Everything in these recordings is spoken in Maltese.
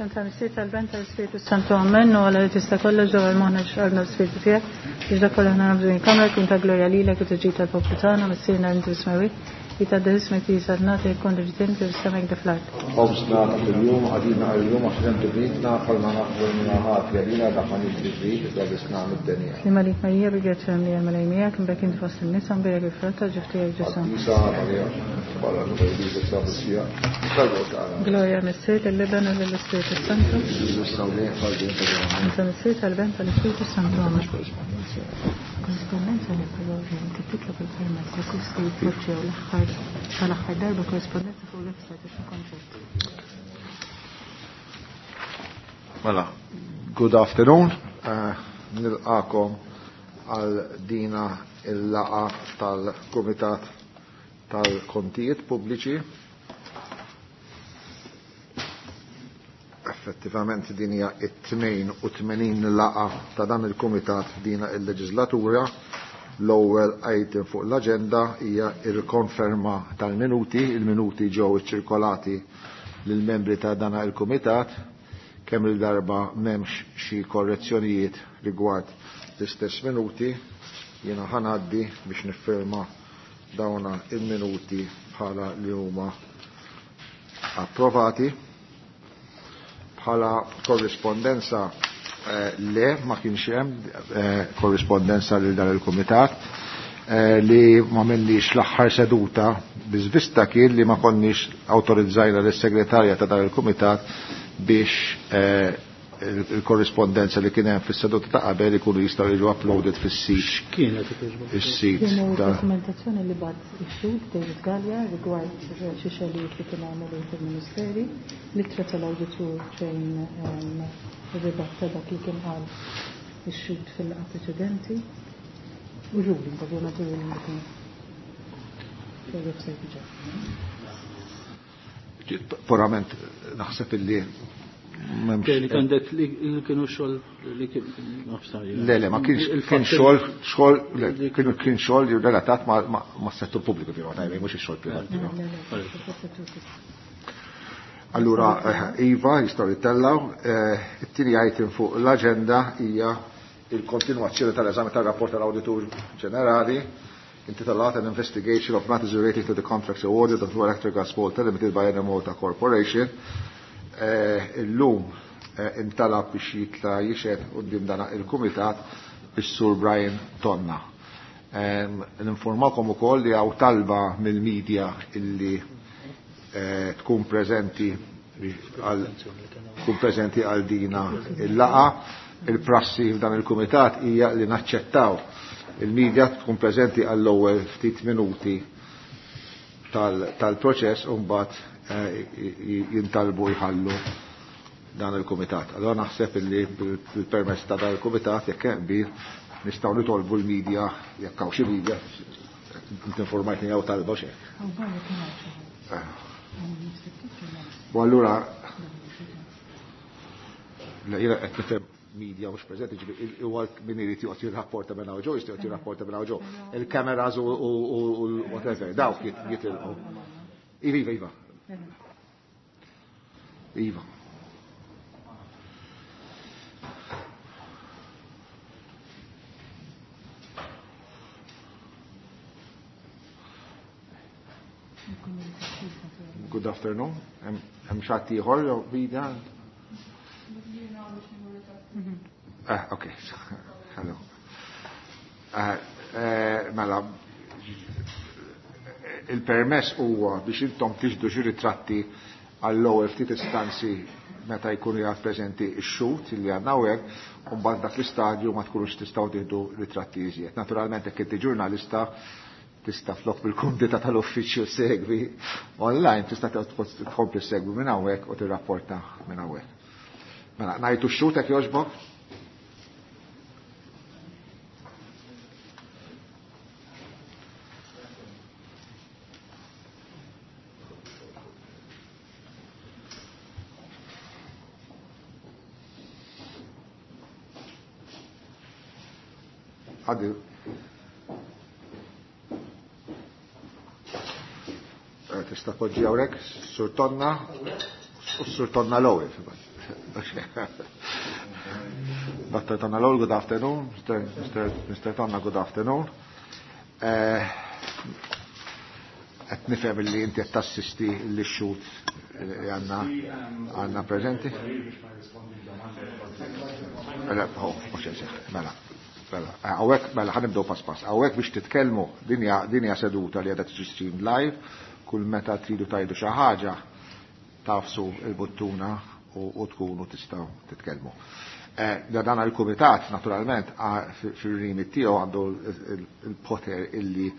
Santa Missier tal-Ben tal-Spiritu Santu Amen, u għala li tista kollox ġewwa l-moħna x'qalbna l-Spiritu tiegħek, biex dak kollu aħna nagħmlu din kamra jkun ta' glorja lilek u tiġi tal-poplu tagħna, Missierna li inti fis-smewwiet, li tgħaddi ismek li jisadna jkun ġdien kif is-sema jekk fl-art. Ħobżna ta' kuljum għadina għal-jum għax bnitna bħalma naħdu minna ħati għalina dak ma nix biżrid iżda bisna mid-denja. Slima lik Marija bi grazzja li għal miegħek imbek inti fost in-nisa mbierek il-frott ta' ġuf tiegħek Ġesù. Qaddisa Marija, bħala l-Bajdi Sabusija, talbu tagħna. Glorja Missier lill-Iben u lill-Ispiritu Santu. Issa u lejn fal-din ta' Santa Missier tal-Ben tal-Ispiritu Santu. Amen. Korrispondenza li però inti titlob il-permess li kull se jitpoġġew l-aħħar tal-aħħar darba korrispondenza fuq il-website biex ikun ċert. Mela, good afternoon. Nilqakom għal dina il-laqa tal-Kumitat tal-Kontijiet Pubbliċi. Effettivament din hija it-82 laqa ta' dan il-Kumitat dina il-leġislatura. L-ewwel item fuq l-aġenda hija il-konferma tal-minuti. Il-minuti ġew iċċirkolati lill-membri ta' dan il-Kumitat kemm il-darba m'hemmx xi korrezzjonijiet rigward l-istess minuti, jiena ħanaddi biex niffirma dawna il-minuti bħala li huma approvati. Bħala korrispondenza le ma kienx hemm korrispondenza lil dan il-kumitat li ma minnix l-aħħar seduta biżvista kien li ma konniex awtorizzajna lis-segretarja ta' dan il-kumitat biex il-korrispondenza li kien hemm fis-seduta ta' qabel ikunu jistgħu jiġu uploaded fis-sit. X'kienet il-korrispondenza? Is-sit Kienu ta' dokumentazzjoni li bagħat ix-xhud David Galea rigward xi xogħlijiet li kien għamel fil-Ministeri, l-ittra tal-awditur fejn ir-ribatta dak li kien qal ix-xhud fil-laqgħa preċedenti u ruling, ovvjament ruling li kien fil-website diġà. Purament naħseb illi m'hemmx Li għandek li kienu xogħol li kien nafsar, Le, le, ma kienx kien xogħol, xogħol, le, kienu kien xogħol li relatat ma' settur pubbliku fi tajba, mhux ix-xogħol privat. Allura, Iva, jistgħu jittellaw, it-tieni item fuq l-aġenda hija il-kontinwazzjoni tal-eżami tal-rapport tal-Awditur Ġenerali intitolat An Investigation of Matters Relating to the Contracts Awarded of Electrogas Malta Limited by Enemalta Corporation. Illum intalab biex jitla jixed quddiem dan il-Kumitat is-Sur Brian Tonna. Ninformakom ukoll li hawn talba mill-medja illi tkun preżenti għal tkun preżenti għal dina il-laqa. Il-prassi f'dan il-Kumitat hija li naċċettaw il-medja tkun preżenti għall-ewwel ftit minuti tal-proċess u mbagħad jintalbu jħallu dan il-Kumitat. Allora naħseb illi bil-permess ta' dan il-Kumitat jekk hemm qbil nistgħu nitolbu l-medja jekk hawn xi media inti informajtni jew talba x'hekk. U allura le jiena qed nifhem media mhux preżenti, ġifieri huwa min irid joqgħod jirrapporta minn hawn ġew, jista' joqgħod jirrapporta minn hawn ġew. Il-cameras u whatever, dawk jitilqu. Iva, iva, iva. Iva. Good afternoon. Hemm xi ħadd ieħor jew bida? Okay. Hello. Mela, il-permess huwa biex intom tixdu xi ritratti għall-ewwel ftit istanzi meta jkunu jgħad preżenti x-xhud li għandna hawnhekk, u mbagħad dak l-istadju ma tkunux tistgħu tieħdu ritratti iżjed. Naturalment jekk inti ġurnalista tista' flok bil-kumdità tal-uffiċċju segwi online, tista' tkompli segwi minn hawnhekk u tirrapporta minn hawnhekk. Mela, ngħidu x-xhud hekk jogħġbok? Għaddi. Tista' poġġi hawnhekk, Sur Tonna, u Sur Tonna l-ewwel. Dr. Tonna Lowell, good afternoon. Mr. Mr. Mr. Tonna, good afternoon. Qed nifhem li inti qed tassisti li xut li għandna għandna preżenti. Mela, mela, mela, hawnhekk mela ħa nibdew pass pass. Hawnhekk biex titkellmu din hija seduta li qiegħda tiġi stream live, kull meta tridu tgħidu xi ħaġa tagħfsu il-buttuna u tkunu tistgħu titkellmu. Dan il-kumitat naturalment fir-remit tiegħu għandu il-poter illi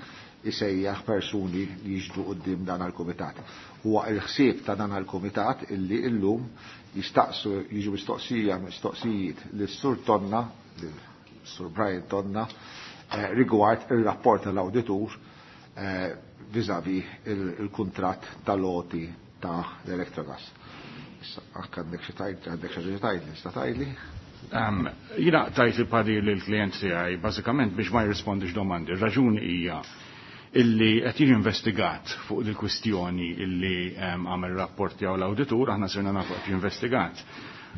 isejjaħ persuni li jiġdu quddiem dan il-kumitat. Huwa il-ħsieb ta' dan il-kumitat illi illum jistaqsu jiġu mistoqsija mistoqsijiet lis-Sur Tonna, lis-Sur Brian Tonna, rigward il-rapport tal-awditur vis-à-vis il-kuntratt tal-għoti ta' l-Electrogas. Issa, anke għandek xi tgħid, għandek xi tgħidli, tista' tgħidli? Jiena tajt il-parir lill-klient tiegħi bażikament biex ma jirrispondix domandi. Raġuni hija illi qed jiġi investigat fuq il-kwistjoni illi għamel rapport tiegħu l-awditur, aħna sirna nafu qed investigat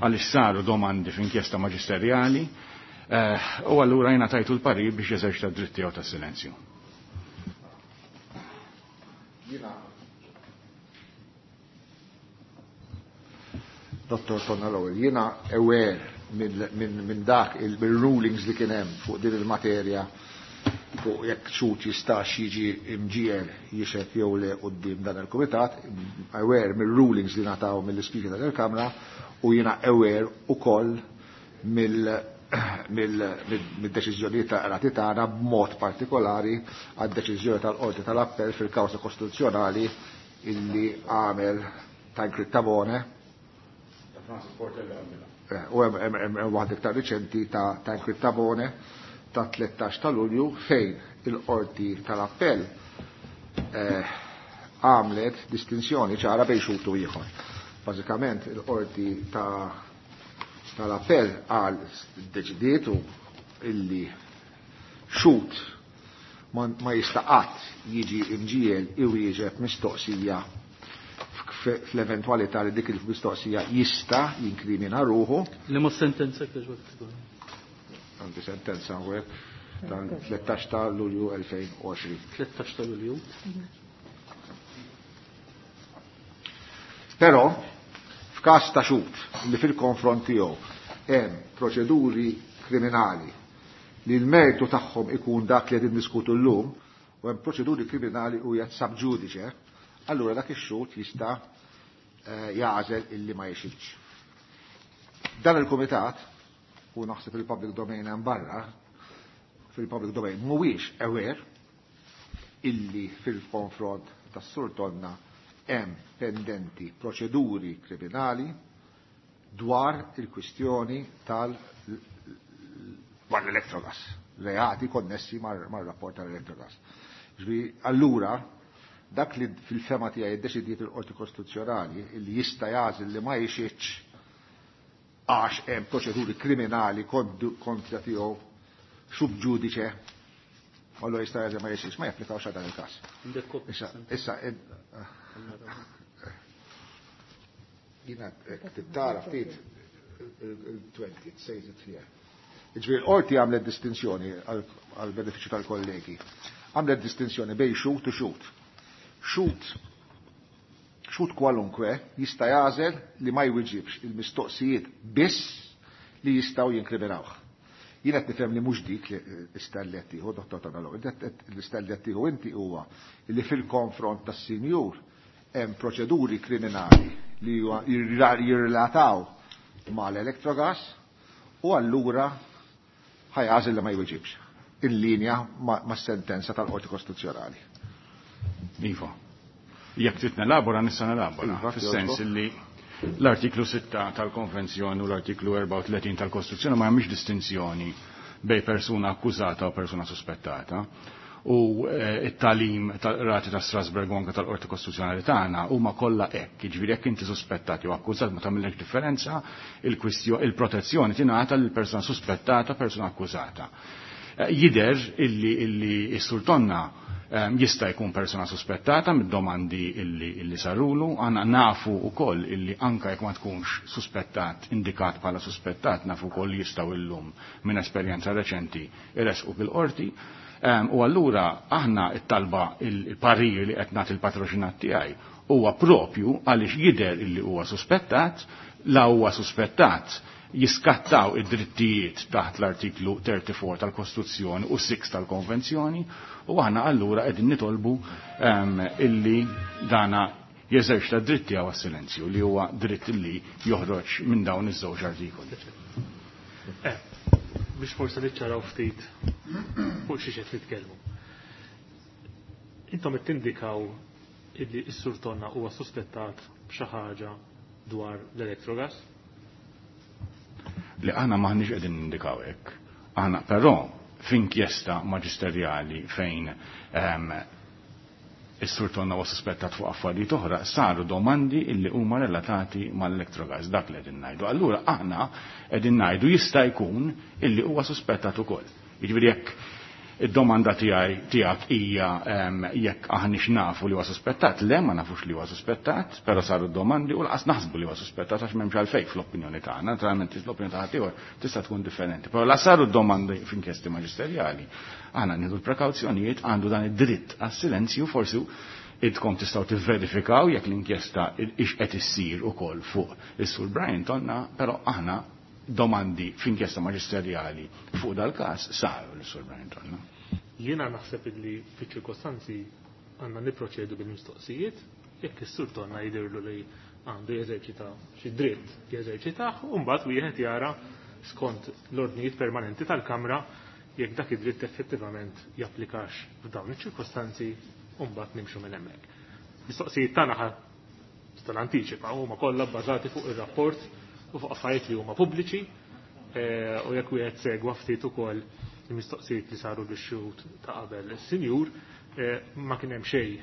għaliex saru domandi f'inkjesta maġisterjali u allura jiena tajtu l-parir biex jeżerċita d-dritt tiegħu tas-silenzju. Jiena Dr. Tonna Lowell, jiena aware minn dak il-rulings li kien hemm fuq din il-materja fuq jekk xhud jistax jiġi imġiegħel jixhed jew le quddiem dan il-kumitat, aware mill-rulings li ngħataw mill-Ispeaker tal-Kamra u jiena aware ukoll mill-deċiżjonijiet ta' qrati tagħna b'mod partikolari għad-deċiżjoni tal-Qorti tal-Appell fil-kawża kostituzzjonali illi għamel Tancred Tabone. U hemm waħda iktar riċenti ta' Tancred Tabone ta' 13 ta' Lulju fejn il-Qorti tal-Appell għamlet distinzjoni ċara bejn xhud u ieħor. Bażikament il-Qorti tal-Appell għal deċidiet illi xhud ma jista' qatt jiġi imġiegħel iwieġeb mistoqsija fl-eventualità li dik il-mistoqsija jista' jinkrimina ruħu. Liema sentenza kieġbek tkun? Għandi sentenza hawnhekk tal-13 ta' Lulju 2020. 13 ta' Lulju. Però f'każ ta' xhud li fil-konfront tiegħu hemm proċeduri kriminali li l-mertu tagħhom ikun dak li qegħdin diskutu llum u hemm proċeduri kriminali u jgħid sub judice, allura dak ix-xhud jista' jagħżel illi ma jixhidx. Dan il-kumitat, u naħseb il-public domain hemm barra, fil-public domain mhuwiex aware illi fil-konfront tas-Sur Tonna hemm pendenti proċeduri kriminali dwar il-kwistjoni tal dwar l-Electrogas, reati konnessi mar-rapport tal-Electrogas. Ġifieri, allura, dak li fil-fehma tiegħi iddeċidiet il-Qorti Kostituzzjonali li jista' jagħżel li ma jixhidx għax hemm proċeduri kriminali kontra tiegħu sub judice, allora jista' jagħżel ma jixhidx, ma japplikawx għal dan il-każ. Issa, issa, jiena tara ftit il-20, it says it here. Ġifieri l-qorti għamlet distinzjoni għal benefiċċju tal-kollegi. Għamlet distinzjoni bejn xhud u xhud. Xhud xhud kwalunkwe jista' jagħżel li ma jwiġibx il-mistoqsijiet biss li jistgħu jinkriminawh. Jien qed nifhem li mhux dik li l-istall li qed tieħu, Dottor Tonalo, l-istall li qed tieħu inti huwa li fil-konfront tas-sinjur hemm proċeduri kriminali li jirrelataw mal-Electrogas u allura ħa jagħżel li ma jweġibx in-linja ma' sentenza tal-Qorti Kostituzzjonali. Iva. Jekk trid nelabora nista' nelabora. Iva, Fis-sens jogħġbok. illi l-artiklu 6 tal-Konvenzjoni u l-artiklu 34 tal-Kostituzzjoni ma jagħmilx distinzjoni bejn persuna akkużata u persuna suspettata. U it-tagħlim tal-Rati ta' Strasburg u anke tal-Qorti Kostituzzjonali tagħna huma kollha hekk. Jiġifieri jekk inti suspettat jew akkużat ma tagħmilx differenza, il-protezzjoni tingħata lil persuna suspettata, persuna akkużata. Jidher illi s-Sur Tonna Jista' jkun persona suspettata mid-domandi illi sarulu, għandna nafu wkoll illi anka jekk ma tkunx suspettat, indikat bħala suspettat, nafu wkoll jistgħu illum minn esperjenza reċenti iressqu bil-qorti. U allura aħna it-talba il-parir li qed nagħti il-patroċinat tiegħi huwa propju għaliex jidher illi huwa suspettat, la huwa suspettat jiskattaw id-drittijiet taħt l-artiklu 34 tal-Kostituzzjoni u 6 tal-Konvenzjoni u aħna allura qegħdin nitolbu illi dana jeżerċita dritt tiegħu għas-silenzju li huwa dritt li joħroġ minn dawn iż-żewġ artikoli. Biex forse niċċaraw ftit fuq xi qed nitkellmu. Intom qed tindikaw illi s-Sur Tonna huwa suspettat b'xi ħaġa dwar l-Electrogas? Li aħna maħniex qegħdin nindikaw hekk. Aħna però f'inkjesta maġisterjali fejn is-Sur Tonna huwa suspettat fuq affarijiet oħra, saru domandi illi huma relatati mal-Electrogas, dak li qegħdin ngħidu. Allura aħna qegħdin ngħidu jista' jkun illi huwa suspettat ukoll. Jiġifieri jekk id-domanda tiegħi tiegħek hija jekk aħniex nafu li huwa suspettat, le ma nafux li huwa suspettat, però saru domandi u laqas naħsbu li huwa suspettat għax m'hemmx għalfejn fl-opinjoni tagħna, naturalment l-opinjoni ta' ħaddieħor tista' tkun differenti. Però la saru domandi f'inkjesti maġisterjali, aħna nieħdu l-prekawzjonijiet, għandu dan id-dritt għas-silenzju, forsi idkom tistgħu tivverifikaw jekk l-inkjesta ix qed issir ukoll fuq is-Sur Brian Tonna, però aħna domandi f'inkjesta maġisterjali fuq dal-każ saru l-Sur Brian Tonna. Jiena naħseb illi fiċ-ċirkostanzi għandna niproċedu bil-mistoqsijiet, jekk is-Sur Tonna jidhirlu li għandu jeżerċita xi dritt jeżerċitah, u mbagħad wieħed jara skont l-ordnijiet permanenti tal-Kamra jekk dak id-dritt effettivament japplikax f'dawn iċ-ċirkostanzi u mbagħad nimxu minn hemmhekk. Mistoqsijiet tagħna ħa tal-antiċipa huma kollha bbażati fuq ir-rapport u fuq affarijiet li huma pubbliċi, u jekk wieħed segwa ftit ukoll il-mistoqsijiet li saru lix-xhud ta' qabel is-sinjur, ma kien hemm xejn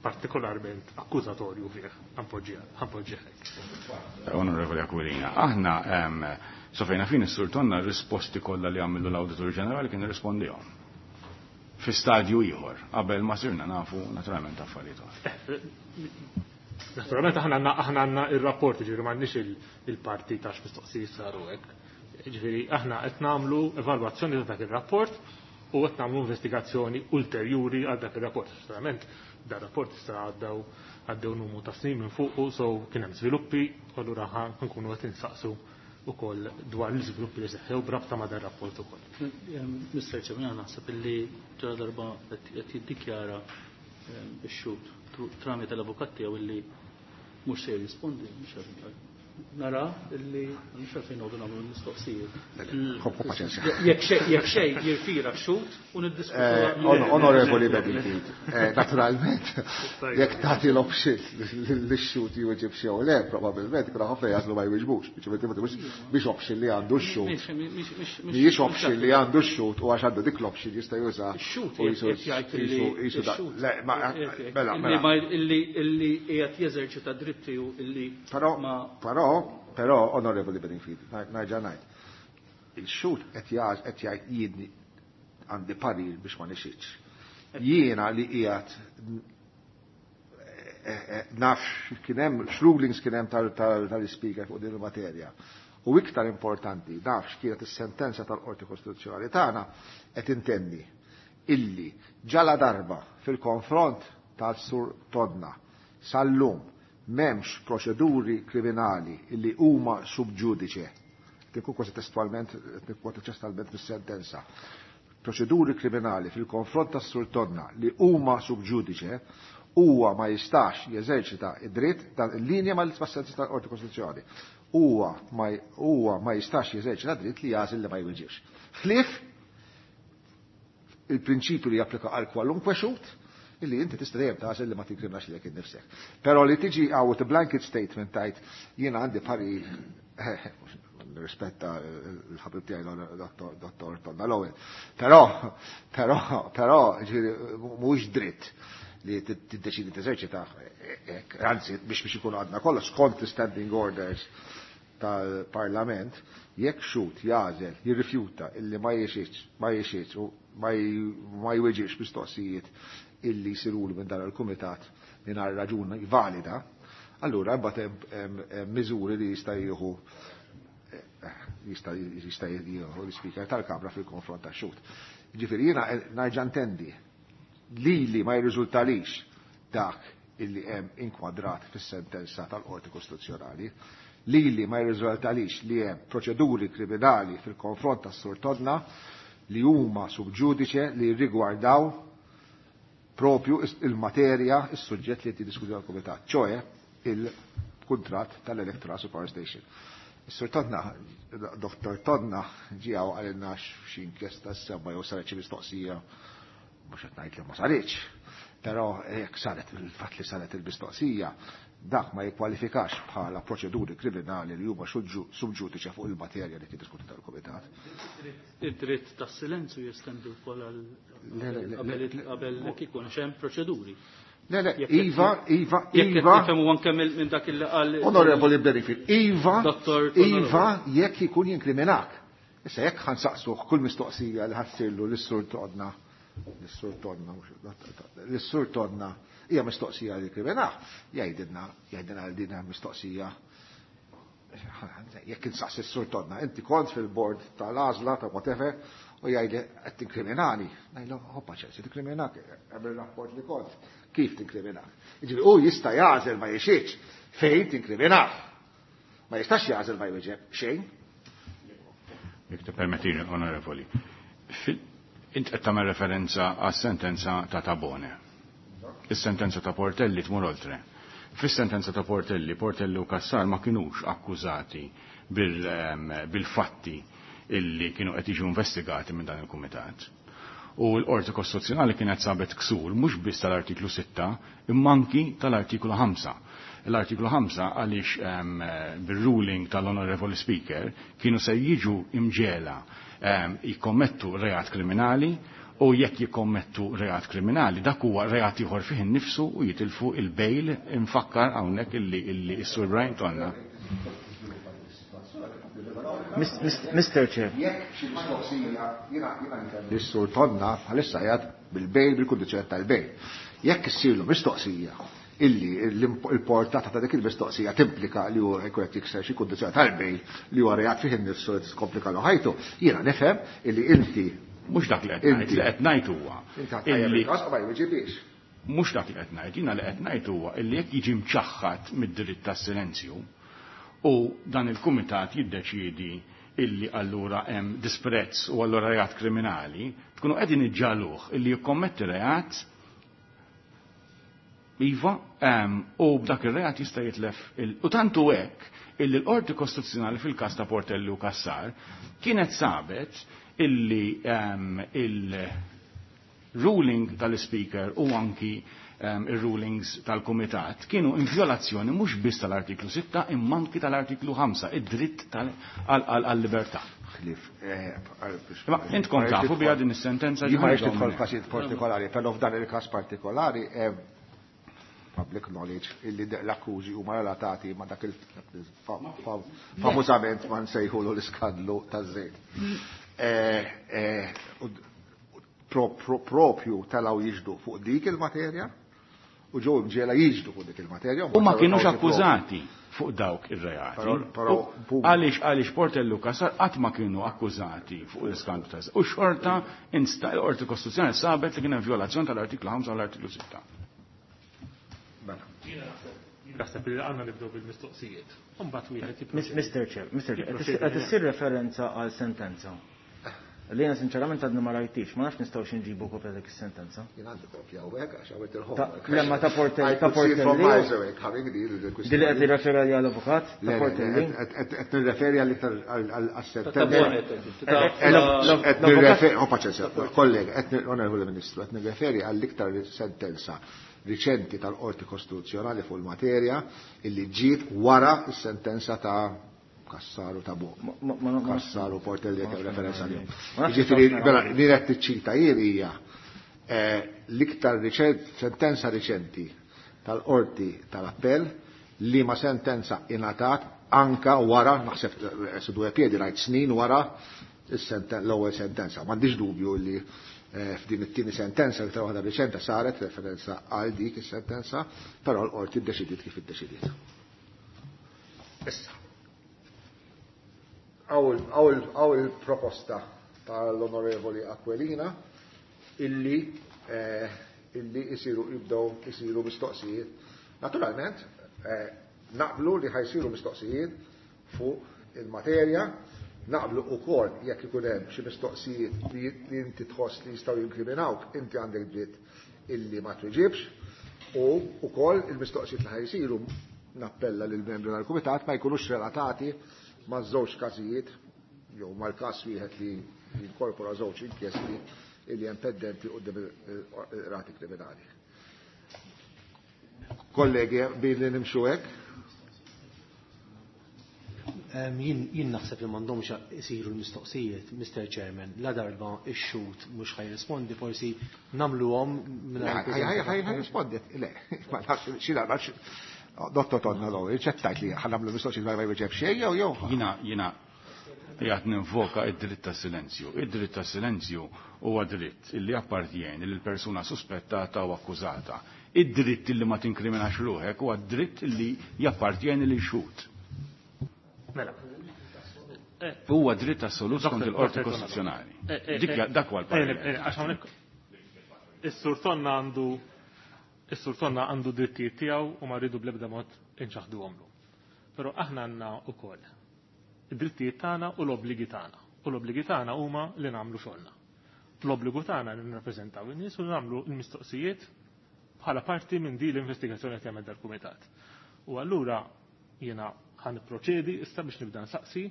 partikolarment akkużatorju fih, ħanpoġġih hekk. Onorevoli Aquilina, aħna sofejna fin is-Sur Tonna r-risposti kollha li għamlu l-Awditur Ġenerali kien irrispondihom. Fi stadju ieħor, qabel ma sirna nafu naturalment affarijiet oħra. Naturalment aħna għandna ir-rapport, ġifieri m'għandniex il-parti ta' x'mistoqsijiet saru hekk. Ġifieri aħna qed nagħmlu evalwazzjoni ta' dak ir-rapport u qed nagħmlu investigazzjoni ulterjuri għal dak ir-rapport. Naturalment dar rapport issa għaddew numru ta' snin minn fuq, so kien hemm żviluppi, u allura ħa nkunu qed insaqsu ukoll dwar l-iżviluppi li seħħew b'rabta ma' dan rapport ukoll. Mister Chairman, jiena naħseb illi ġara darba qed jiddikjara ix-xhud tramite l-avukat tiegħu illi mhux se jirrispondi, mhux għalfejn. Nara illi mhux għalfejn noqogħdu nagħmlu l-mistoqsijiet. Ħobbu paċenzja. Jekk xejn jirtira x-xhud u niddiskutu. Onorevoli Bedingfield, naturalment, jekk tagħti l-option lix-xhud jwieġeb xi jew le, probabbilment ikun ħafna jagħżlu ma jwieġbux, biex option li għandu x-xhud. Mhijiex option li għandu x-xhud u għax għandu dik l-option jista' juża. Ix-xhud u jisu qed jgħid illi jisu da- ix-xhud Le, ma, qed mela, illi mela. ma illi illi qiegħed jeżerċita dritti u illi Però, ma però, però, Onorevoli Bedingfield, nerġa' ngħid. Il-xhud qed qed jgħid jiedni għandi parir biex ma nixitx. Jiena li qiegħed naf kien hemm x'rulings kien hemm tal-ispeaker fuq din il-materja. U iktar importanti, naf x'kienet is-sentenza tal-Qorti Kostituzzjonali tagħna qed intenni illi ġala darba fil-konfront tal-Sur Tonna sal-lum m'hemmx proċeduri kriminali illi huma sub ġudice. Tinkun kważi testualment, nikkwota testualment fis-sentenza. Proċeduri kriminali fil-konfront tas-Sur Tonna li huma sub ġudice huwa ma jistax jeżerċita id-dritt dan il-linja mal-sentenza tal-Qorti Kostituzzjonali. Huwa ma jistax jeżerċita dritt li jagħżel li ma jweġibx. Ħlief il-prinċipju li japplika għal kwalunkwe xhud illi inti tista' dejjem tagħżel li ma tinkriminax lilek innifsek. Però li tiġi għaw a blanket statement tajt jiena għandi parir rispetta l-ħabib tiegħi dottor Tonna Lowell. Però, però, però, ġifieri, mhuwiex dritt li tiddeċidi teżerċita, anzi biex ikunu għadna kollha skont l-standing orders tal-Parlament, jekk xhud jagħżel, jirrifjuta illi ma jixitx, ma jixitx u ma jweġibx mistoqsijiet illi jsirulu minn dan il-kumitat mingħajr raġuni valida, allura mbagħad hemm miżuri li jista' jieħu jista' jista' jieħu l-Ispeaker tal-Kamra fil-konfront tax-xhud. Ġifieri jiena nerġa' ntendi lili ma jirriżultalix dak illi hemm inkwadrat fis-sentenza tal-Qorti Kostituzzjonali, lili ma jirriżultalix li hemm proċeduri kriminali fil-konfront tas-Sur Todna li huma sub ġudice li rigwardaw propju il-materja, is-suġġett li qed għal-Kumitat, ċoe il-kuntratt tal-Electra Power Station. Is-Sur Todna, Dr. Todna ġie għalilna xi inkjesta s-seba jew saret xi mistoqsija, mhux qed ngħid li ma saritx, però jekk saret il-fatt li saret il-mistoqsija, dak ma jikkwalifikax bħala proċeduri kriminali li huma sub ġudice fuq il-materja li tiddiskuti tal-Kumitat. Id-dritt tas-silenzju jestendi wkoll għal qabel kieku hemm proċeduri. Le, le, Iva, Iva, Iva. Jekk anke minn dak il qal. Onorevoli Benefit, Iva, Iva, jekk ikun jinkriminak. Issa jekk ħansaqsuh kull mistoqsija li ħassirlu lis-sur Todna, lis-sur Todna, lis-sur Todna, hija mistoqsija li kriminah, jgħidilna, jgħidilna għal din mistoqsija. Jekk insaqsi s-sur Todna, inti kont fil-bord tal-għażla ta' whatever, u jgħidli qed tinkriminani. Ngħidlu, hoppa ċersi tinkriminak, hemm ir-rapport li kont. Kif tinkriminak? Jiġifieri hu jista' jagħżel ma jixitx fejn tinkriminah. Ma jistax jagħżel ma jwieġeb xejn. Jekk tippermettini, onorevoli. Int qed tagħmel referenza għas-sentenza ta' Tabone. Is-sentenza ta' Portelli tmur oltre. Fis-sentenza ta' Portelli, Portelli u Cassar ma kinux akkużati bil-fatti illi kienu qed jiġu investigati minn dan il-kumitat. U l-Qorti Kostituzzjonali kienet sabet ksur mhux biss tal-artiklu 6 imma anki tal-artiklu 5. L-artiklu 5 għaliex bil-ruling tal-Honorable Speaker kienu se jiġu imġela jikkommettu reat kriminali, u jekk jikkommettu reat kriminali dak huwa reat ieħor fih innifsu u jitilfu il-bail. Infakkar hawnhekk illi s-Sur Brian Tonna. Mr. Chair. Jekk xi mistoqsija, jiena Is-Sur Tonna bħalissa qiegħed bil-bail, bil-kundizzjoni tal-bail. Jekk issirlu mistoqsija illi il-portata ta' dik il-mistoqsija timplika li hu jkun qed jikser xi kundizzjoni tal-bail li huwa reat fih innifsu li tiskomplika lu ħajtu, jiena nifhem illi inti Mhux dak li qed ngħid, li qed ngħid huwa. Inti ħadd tajjeb il-każ ma jweġibix. Mhux dak li qed ngħid, jiena li qed ngħid huwa illi jekk jiġi mċaħħad mid-dritt tas-silenzju u dan il-kumitat jiddeċiedi illi allura hemm disprezz u allura reat kriminali, tkunu qegħdin iġġaluh illi jikkommetti reat, iva, u b'dak ir-reat jista' jitlef il-, u tantu hekk illi l-Qorti Kostituzzjonali fil-każ ta' Portelli u Cassar kienet sabet illi il-ruling tal-Speaker u anki il-rulings tal-Kumitat kienu in violazzjoni mhux biss tal-artiklu 6 imma anki tal-artiklu 5, id-dritt għal-libertà. Ħlief, Ma intkom tafu biha din is-sentenza Jien ma ġifieri rridx nidħol hawnhekk. f'każijiet partikolari, però f'dan il-każ partikolari hemm public knowledge illi l-akkużi huma relatati ma' dak il-famużament ma nsejħulu l-iskandlu taż-żejt. Propju talaw jiġdu fuq dik il-materja u ġew imġiela jiġdu fuq dik il-materja. U ma kienux akkużati fuq dawk ir-reati. Però, U għaliex Portelli u Cassar qatt ma kienu akkużati fuq l-iskandlu ta' u xorta l-Qorti Kostituzzjonali sabet li kien hemm violazzjoni tal-artiklu 5 u l-artiklu 6. Mela. Naħseb li għandna nibdew bil-mistoqsijiet. Imbagħad wieħed jipproċedi. Mr. Chair, Mr. Chair, Jipproċedi. qed issir referenza għal sentenza. Li jiena sinċerament għadni ma rajtix, ma nafx nistgħux nġibu kopja dik is-sentenza. Jien għandi kopja hawnhekk għax għamilt il-homework. Le, ma ta' Portelli, I ta' could see from Portelli. miles away coming di Di li qed jirreferi għal avukat, ta' Le, le, Portelli. qed nirreferi għal iktar għas-sentenza. Ta' Tabone, Qed nirreferi, oh, paċenzja, kollega, qed onorevoli Ministru, qed nirreferi għall-iktar sentenza riċenti tal-Qorti Kostituzzjonali fuq il-materja illi ġiet wara s-sentenza ta' Cassar u ta' Bo. Cassar u Portelli qed referenza lihom. Ma nafx Jiġifieri, nistgħux mela, naraw. li qed tiċċita jien hija l-iktar sentenza riċenti tal-Qorti tal-Appell li ma sentenza ingħatat anka wara, naħseb su due piedi rajt snin wara l-ewwel sentenza. M'għandix dubju li f'din it-tieni sentenza li waħda riċenta saret referenza għal dik is-sentenza, però l-qorti ddeċidiet kif iddeċidiet. Issa. Hawn il-proposta tal-Onorevoli Aquilina illi illi isiru jibdew isiru mistoqsijiet. Naturalment, naqblu li ħa jsiru mistoqsijiet fuq il-materja, naqblu ukoll jekk ikun hemm xi mistoqsijiet li inti tħoss li jistgħu jinkriminawk, inti għandek dritt illi ma tweġibx, u ukoll il-mistoqsijiet li ħa jsiru nappella lil membri tal-kumitat ma jkunux relatati ma' żewġ każijiet jew mal-każ wieħed li jinkorpora żewġ inkjesti illi hemm pendenti quddiem il-qrati kriminali. Kollegi, billi nimxu hekk? Jien naħseb li m'għandhomx isiru l-mistoqsijiet, Mr. Chairman, la darba ix-xhud mhux ħa jirrispondi, forsi nagħmluhom mingħajr. Ħa jirrispondi, le, ma nafx xi darba Dottor Tonna l ċettajt li ħa nagħmlu mistoqsijiet ma jweġeb xejn jew jew. Jiena qiegħed ninvoka id-dritt ta' silenzju. Id-dritt ta' silenzju huwa dritt illi appartjeni lil persuna suspettata u akkużata. Id-dritt illi ma tinkriminax ruħek huwa dritt illi jappartjeni lil xhud. Mela. Huwa dritt assolut skont il-Qorti Kostituzzjonali. Dik dak huwa l-parir. Għax hawnhekk is-Sur Tonna għandu is-Sur Tonna għandu drittijiet tiegħu u ma rridu bl-ebda mod inċaħduhomlu. Però aħna għandna wkoll id-drittijiet tagħna u l-obbligi tagħna. U l-obbligi tagħna huma li nagħmlu xogħolna. L-obbligu tagħna li nirrappreżentaw in-nies u nagħmlu l-mistoqsijiet bħala parti minn din l-investigazzjoni qed jagħmel dal-kumitat. U allura jiena ħa nipproċedi issa biex nibda nsaqsi,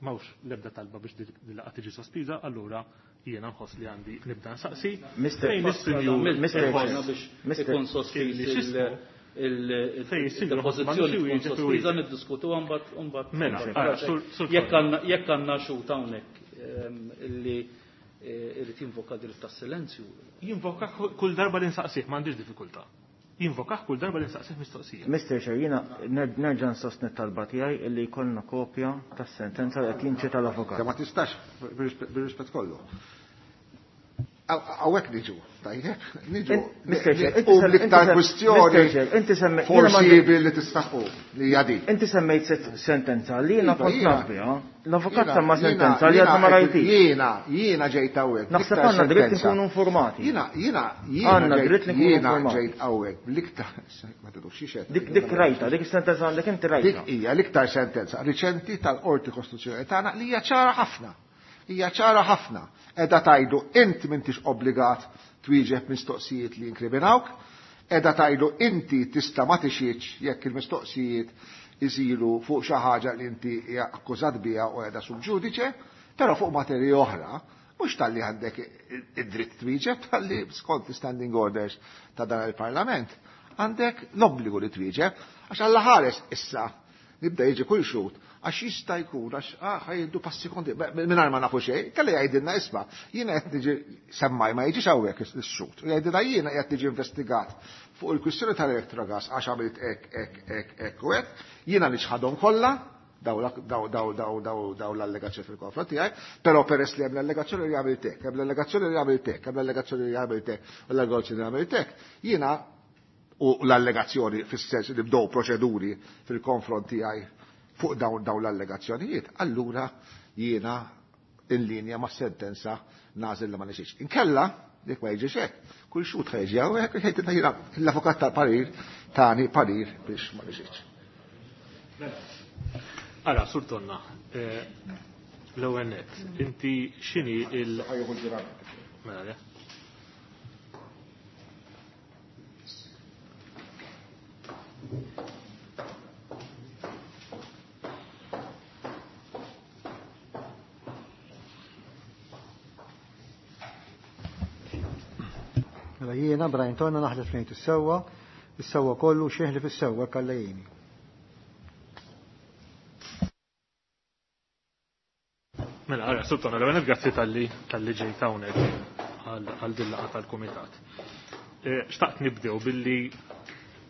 m'hawnx l-ebda talba biex din laqgħa tiġi sospiża, allura jiena nħoss li għandi nibda nsaqsi. Mr. Fejn is-sinjur Mr. biex ikun sospiż il-pożizzjoni tkun sospiża niddiskutuha mbagħad. Mela, jekk għandna xhud hawnhekk illi irid jinvoka dritt tas-silenzju. Jinvoka kull darba li nsaqsih, m'għandix diffikultà. Jinvokah kull darba li nsaqsih mistoqsija. Mr. Chair, jiena nerġa' nsostni talba tiegħi illi jkollna kopja tas-sentenza li qed jinċita l-avukat. Ma tistax bir-rispett kollu. Hawnhekk niġu, tajjeb, niġu. Mr. Chair, U l-iktar kwistjoni inti semmejt forsi billi tistaħu li hija din. Inti semmejt sentenza li jiena Iva, kont jiena. naf biha, l-avukat Jiena- semma jiena- sentenza li għadna ma jiena- rajtix. Jiena ġejt hawnhekk. Naħseb l-iktar għandna dritt sentenza. nkunu informati. Jiena Għandna ġejt- dritt li nkunu jiena informati. ġejt hawnhekk bl-iktar ma tidux xi xed. Dik rajta, dik is-sentenza għandek inti rajta. Dik hija l-iktar sentenza riċenti tal-Qorti Kostituzzjonali tagħna li hija ċara ħafna. Hija ċara ħafna. Qiegħda tgħidu int m'intix obbligat twieġeb mistoqsijiet li jinkriminawk, qiegħda tgħidu inti tista' ma tixhidx jekk il-mistoqsijiet isiru fuq xi ħaġa li inti hija akkużat biha u qiegħda sub ġudice, però fuq materji oħra, mhux talli għandek id-dritt twieġeb, talli skont standing orders ta' dan il-Parlament, għandek l-obbligu li twieġeb, għax Alla ħares issa nibda jiġi kull xhud, għax jista' jkun għax ħa jieħdu passi konti, mingħajr ma nafu xejn, kelli jgħidilna isma' jiena qed niġi semmaj ma jiġix hawnhekk ix-xhud, u jgħidilna jiena qed niġi investigat fuq il-kwistjoni tal-Electrogas għax għamilt hekk, hekk, hekk, hekk u hekk, jiena niċħadhom kollha, daw daw daw daw daw daw l-allegazzjoni fil-konfront tiegħi, però peress li hemm l-allegazzjoni li għamilt hekk, hemm l-allegazzjoni li għamilt hekk, hemm l-allegazzjoni li għamilt hekk, u l-allegazzjoni li għamilt hekk, jiena u l-allegazzjoni fis-sens li bdew proċeduri fil-konfront tiegħi fuq dawn l-allegazzjonijiet, allura jiena in linja ma' sentenza nagħżel li ma nixix. Inkella, jekk ma jiġix hekk, kull xhud ħa jiġi hawnhekk jgħidilna jiena l-avukat tal-parir tani parir biex ma nixix. Ara, Sur Tonna, l-ewwel nett, inti x'inhi il- Mela, le. Mela jiena Brian Tonna naħlef ngħid is-sewwa, is-sewwa kollu xieħli fis-sewwa kallejjini. Mela, ara, Sur Tonna, l-ewwel nett grazzi talli ġejt hawnhekk għal din laqgħa tal-kumitat. Xtaqt nibdew billi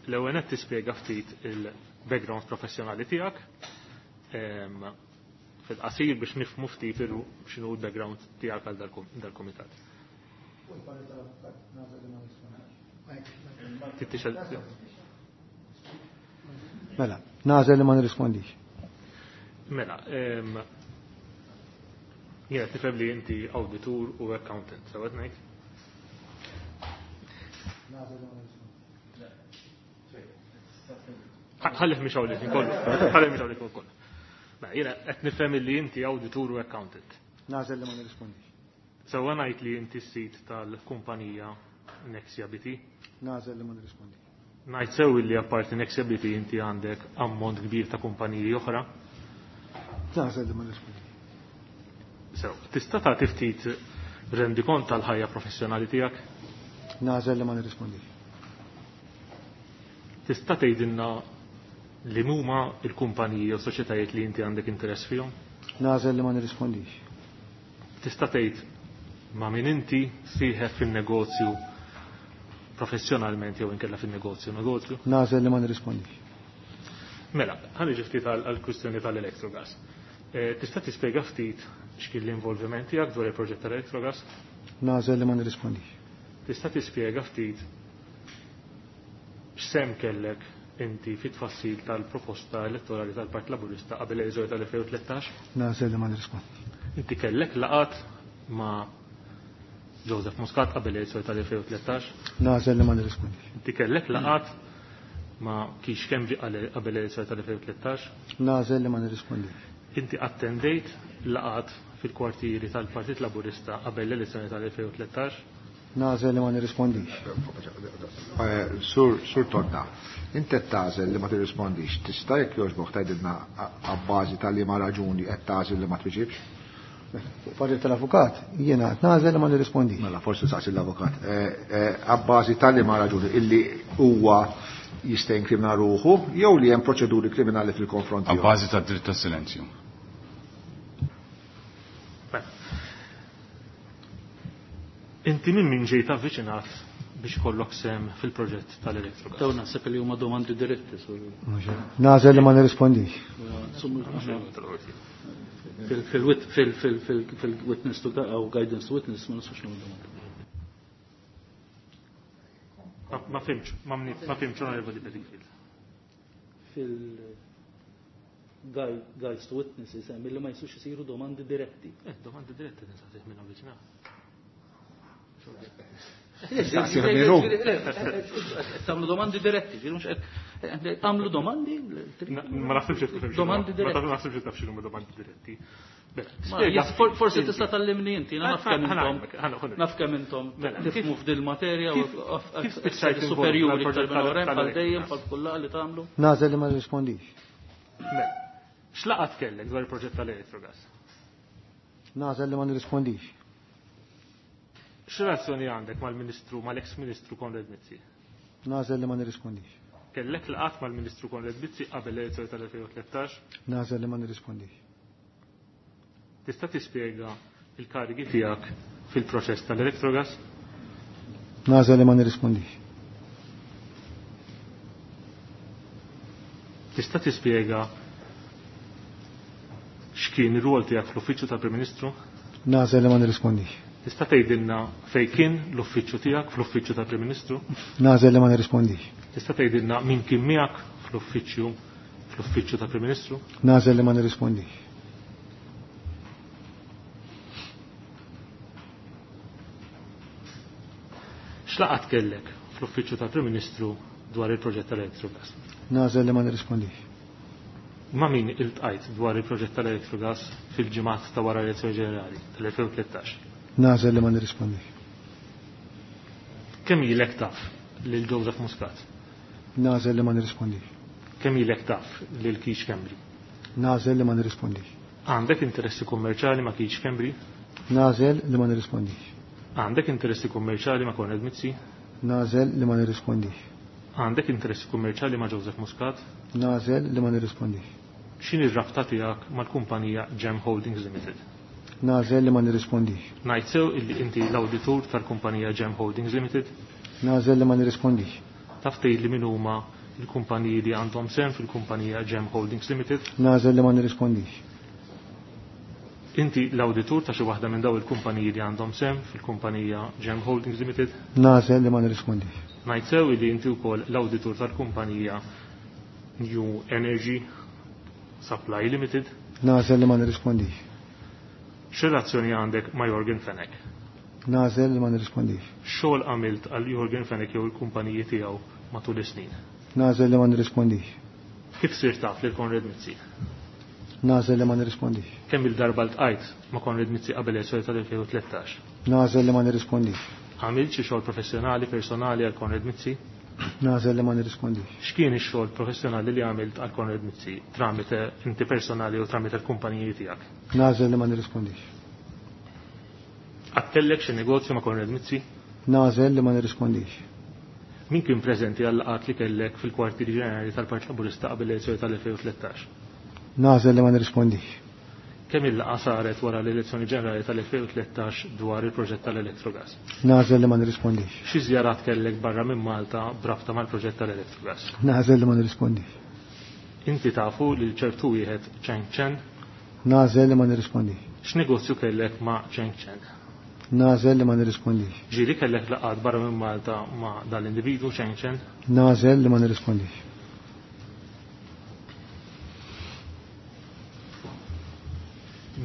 l-ewwel nett tispjega ftit background professjonali tiegħek. Fil-qasir biex nifhmu ftit x'inhu l-background tiegħek għal dal-kumitat. Mela, nagħżel li ma nirrispondix. Mela, jiena tifhem li inti awditur u accountant, sewwa ngħid? Ħallih mhix hawn kollu. Ħallih mhix hawn kollu. Mela, jiena qed nifhem li inti awditur u accountant. Nagħżel li ma nirrispondix. Sewwa ngħid li inti s-sid tal-kumpanija Nexia BT? Nagħżel li ma nirrispondix. Ngħid sew li apparti Nexia BT inti għandek ammont kbir ta' kumpaniji oħra? Nagħżel li ma nirrispondix. Sew, tista' tagħti ftit rendikont tal-ħajja professjonali tiegħek? Nagħżel li ma nirrispondix. Tista' tgħidilna li huma l-kumpaniji jew soċjetajiet li inti għandek interess fihom? Nagħżel li ma nirrispondix. Tista' tgħid ma' min inti sieħeb fin-negozju professjonalment jew inkella fin-negozju negozju? Nagħżel li ma nirrispondix. Mela, ħa niġi ftit għall-kwistjoni tal-Electrogas. Tista' tispjega ftit x'kien l-involviment tiegħek dwar il-proġett tal-Electrogas? Nagħżel li ma nirrispondix. Tista' tispjega ftit x'sehem kellek inti fit-tfassil tal-proposta elettorali tal-Partit Laburista qabel l-elezzjoni tal-2013? Nagħżel li ma nirrispondix. Inti kellek laqgħat ma' Joseph Muscat qabel l-elezzjoni tal-2013? Nagħżel li ma nirrispondix. Inti kellek laqgħat ma' Keith Schembri qabel l-elezzjoni tal-2013? Nagħżel li ma nirrispondix. Inti attendejt laqgħat fil-kwartieri tal-Partit Laburista qabel l-elezzjoni tal-2013? Nagħżel li ma nirrispondix. Sur Tonna, inti qed tagħżel li ma tirrispondix. Tista' jekk jogħġbok tgħidilna abbażi ta' liema raġuni qed tagħżel li ma twiġibx? Parir tal-avukat, jiena qed nagħżel li ma nirrispondix. Mela, forsi saqsi l-avukat. Abbażi ta' liema raġuni illi huwa jista' jinkrimina ruħu jew li hemm proċeduri kriminali fil-konfront tiegħu. Abbażi tad-dritt tas-silenzju. Inti minn min ġejt avviċinat biex kollok sem fil-proġett tal-Electrogas? Dawn naħseb li huma domandi diretti. Nagħżel li ma nirrispondix. Fil-witness to u guidance to witness ma nistax nagħmlu domandi. Ma fimx, ma fimx onorevoli Bedingfield. Fil-guides to witness jisemmi li ma jistgħux isiru domandi diretti. Domandi diretti ninsaqsih minn avviċinat. Tagħmlu domandi diretti, ġifieri mhux qed tagħmlu domandi? Ma naħsibx li taf Domandi diretti. Ma naħsibx li taf x'inhuma domandi diretti. Forsi tista' tallimni inti, naf kemm intom. Naf kemm intom tifhmu f'dil materja u Kif spiċċajt superjuri involut iktar minn mal-proġett oħrajn bħal dejjem tal-Electrogas? bħal kull laqgħa li tagħmlu. Nagħżel li ma nirrispondix. Mela, x'laqgħat kellek dwar il-proġett tal-Electrogas? Nagħżel li ma nirrispondix. X'relazzjoni għandek mal-Ministru, mal-ex-Ministru Konrad Mizzi? Nagħżel li ma nirrispondix. Kellek laqgħat mal-Ministru Konrad Mizzi qabel l-elezzjoni tal-2013? Nagħżel li ma nirrispondix. Tista' tispjega il-karigi tiegħek fil-proċess tal-Electrogas? Nagħżel li ma nirrispondix. Tista' tispjega x'kien ir-rwol tiegħek fl-Uffiċċju tal-Prim Ministru? Nagħżel li ma nirrispondix. Tista' tgħidilna fejn kien l-uffiċċju tiegħek fl-uffiċċju tal-Prim Ministru? Nagħżel li ma nirrispondix. Tista' tgħidilna min kien miegħek fl-uffiċċju tal-Prim Ministru? Nagħżel li ma nirrispondix. X'laqgħat kellek fl-uffiċċju tal-Prim Ministru dwar il-proġett tal-Electrogas? Nagħżel li ma nirrispondix. Ma' min iltqajt dwar il-proġett tal-Electrogas fil-ġimgħat ta' wara l-elezzjoni ġenerali tal-2013? Nagħżel li ma nirrispondix. Kemm ilek taf lil Joseph Muscat? Nagħżel li ma nirrispondix. Kemm ilek taf lil Keith Schembri? Nagħżel li ma nirrispondix. Għandek interessi kummerċjali ma' Keith Schembri? Nagħżel li ma nirrispondix. Għandek interessi kummerċjali ma' Konrad Mizzi? Nagħżel li ma nirrispondix. Għandek interessi kummerċjali ma' Joseph Muscat? Nagħżel li ma nirrispondix. X'inhi r-rabta tiegħek mal-kumpanija Gem Holdings Limited? Nagħżel li ma nirrispondix. Ngħid sew illi inti l-awditur tal-kumpanija Gem Holdings Limited? Nagħżel li ma nirrispondix. Taf tgħid li min huma il-kumpaniji li għandhom sehem fil-kumpanija Gem Holdings Limited? Nagħżel li ma nirrispondix. Inti l-awditur ta' xi waħda minn daw il-kumpaniji li għandhom sehem fil-kumpanija Gem Holdings Limited? Nagħżel li ma nirrispondix. Ngħid sew li inti wkoll l-awditur tal-kumpanija New Energy Supply Limited? Nagħżel li ma nirrispondix. X'relazzjoni għandek ma' Yorgen Fenech? Nagħżel li ma nirrispondix. Xogħol għamilt għal Yorgen Fenech jew il-kumpaniji tiegħu matul is-snin? Nagħżel li ma nirrispondix. Kif sirt taf lil Konrad Mizzi? Nagħżel li ma nirrispondix. Kemm il-darba ltqajt ma' Konrad Mizzi qabel elezzjoni tal-2013? Nagħżel li ma nirrispondix. Għamilt xi xogħol professjonali personali għal Konrad Mizzi? Nagħżel li ma nirrispondix. X'kien ix-xogħol professjonali li għamilt għal Konrad Mizzi tramite inti personali u tramite l-kumpaniji tiegħek? Nagħżel li ma nirrispondix. Għattellek xi negozju ma' Konrad Mizzi? Nagħżel li ma nirrispondix. Min kien preżenti għal laqgħat li kellek fil-kwartieri ġenerali tal-Partit Laburista qabel l-elezzjoni tal-2013? Nagħżel li ma nirrispondix. Kemm il-laqgħa saret wara l-elezzjoni ġenerali tal-2013 dwar il-proġett tal-Electrogas? Nagħżel li ma nirrispondix. Xi żjarat kellek barra minn Malta b'rabta mal-proġett tal-Electrogas? Nagħżel li ma nirrispondix. Inti tafu lil ċertu wieħed Cheng Chen? Nagħżel li ma nirrispondix. X'negozju kellek ma' Cheng Chen? Nagħżel li ma nirrispondix. Ġieli kellek laqgħat barra minn Malta ma' dal-individwu Cheng Chen? Nagħżel li ma nirrispondix.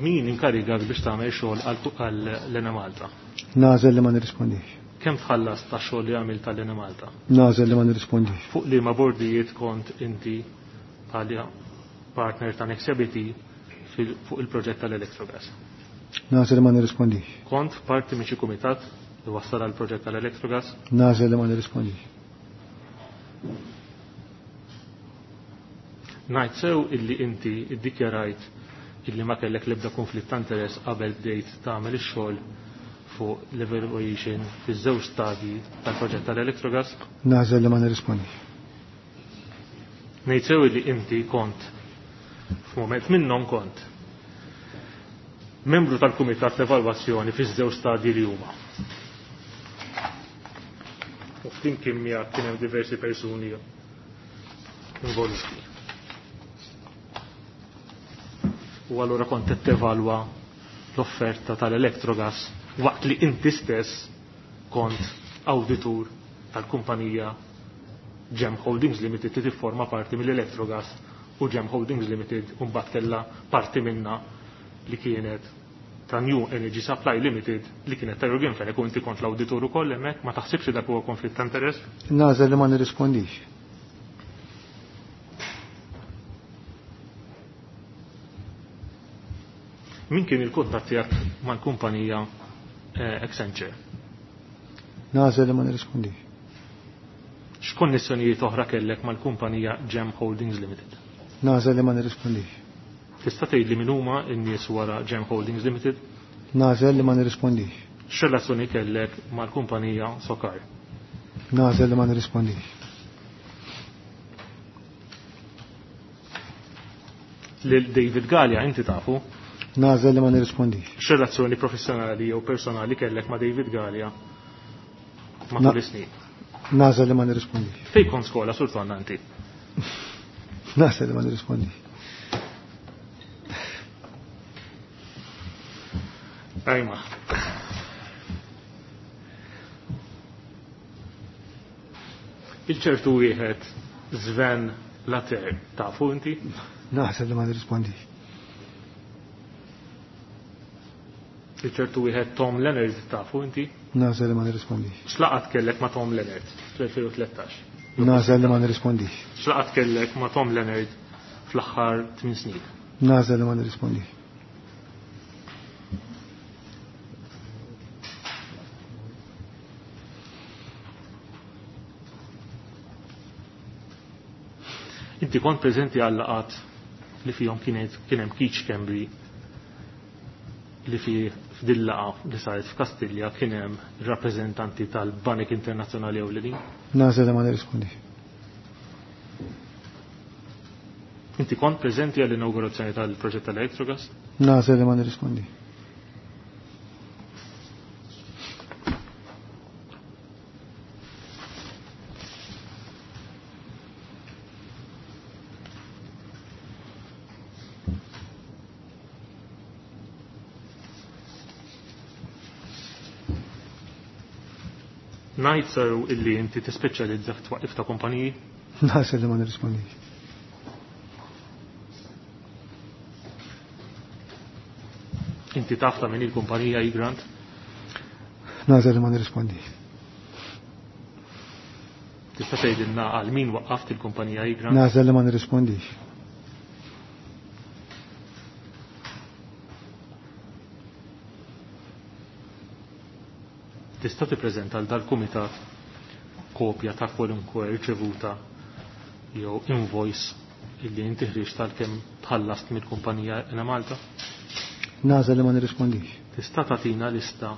Min inkarigak biex tagħmel xogħol għal Enemalta? Nagħżel li ma nirrispondix. Kemm tħallas ta' xogħol li għamilt għal Enemalta? Nagħżel li ma nirrispondix. Fuq liema bordijiet kont inti bħala partner ta' Nexia BT fuq il-proġett tal-Electrogas? Nagħżel li ma nirrispondix. Kont parti minn xi kumitat li wassal għal proġett tal-Electrogas? Nagħżel li ma nirrispondix. Ngħid sew illi inti iddikjarajt illi ma kellek l-ebda konflitt ta' interess qabel bdejt tagħmel ix-xogħol fuq l-evaluation fiż-żewġ stadji tal-proġett tal-Electrogas? Nagħżel li ma nirrispondix. Ngħid sew illi inti kont f'mument minnhom kont membru tal-Kumitat l-Evalwazzjoni fiż-żewġ stadji li huma. U flimkien miegħek kien hemm diversi persuni involuti. U allura kont qed tevalwa l-offerta tal-Electrogas waqt li inti stess kont awditur tal-kumpanija Gem Holdings Limited li tifforma parti mill-Electrogas u Gem Holdings Limited u mbagħad kellha parti minna li kienet ta' New Energy Supply Limited li kienet ta' Yorgen Fenech u inti kont l-awditur ukoll hemmhekk, ma taħsibx li dak huwa konflitt ta' interess? Nagħżel li ma nirrispondix. Min kien il-kuntatt tiegħek mal-kumpanija Accenture? Nagħżel li ma nirrispondix. X'konnessjonijiet oħra kellek mal-kumpanija Gem Holdings Limited? Nagħżel li ma nirrispondix. Tista' tgħidli min huma n-nies wara Gem Holdings Limited? Nagħżel li ma nirrispondix. X'relazzjoni kellek mal-kumpanija Sokar? Nagħżel li ma nirrispondix. Lil David Galea inti tafu? Nagħżel li ma nirrispondix. X'relazzjoni professjonali jew personali kellek ma' David Galea matul is-snin? Nagħżel li ma nirrispondix. Fejn kont skola sur Tonna inti? Nagħżel li ma nirrispondix. Ajma. Il-ċertu wieħed Sven Later, tafu inti? Naħseb li ma nirrispondix. Il-ċertu wieħed Tom Leonard tafu inti? Naħseb li ma nirrispondix. X'laqgħat kellek ma' Tom Leonard fl-2013? Naħseb li ma nirrispondix. X'laqgħat kellek ma' Tom Leonard fl-aħħar 8 snin? Naħseb li ma nirrispondix. Inti kont preżenti għal laqgħat li fihom kien hemm Keith Schembri li fi f'dil laqgħa li saret f'Kastilja kien hemm rappreżentanti tal-Banek Internazzjonali Ewlenin? Nagħżel li ma nirrispondix. Inti kont preżenti għall-inaugurazzjoni tal-proġett tal-Electrogas? Nagħżel li ma nirrispondix. Ngħid sew illi inti tispeċjalizza f'twaqqif ta' kumpaniji? Nagħżel li ma nirrispondix. Inti taf ta' min il-kumpanija Egrant? Nagħżel li ma nirrispondix. Tista' tgħidilna għal min waqqaft il-kumpanija Egrant? Nagħżel li ma nirrispondix. Tista' tippreżenta għal dal-kumitat kopja ta' kwalunkwe riċevuta jew invoice illi inti ħriġt tal-kemm tħallast mill-kumpanija Enemalta? Nagħżel li ma nirrispondix. Tista' tagħtina lista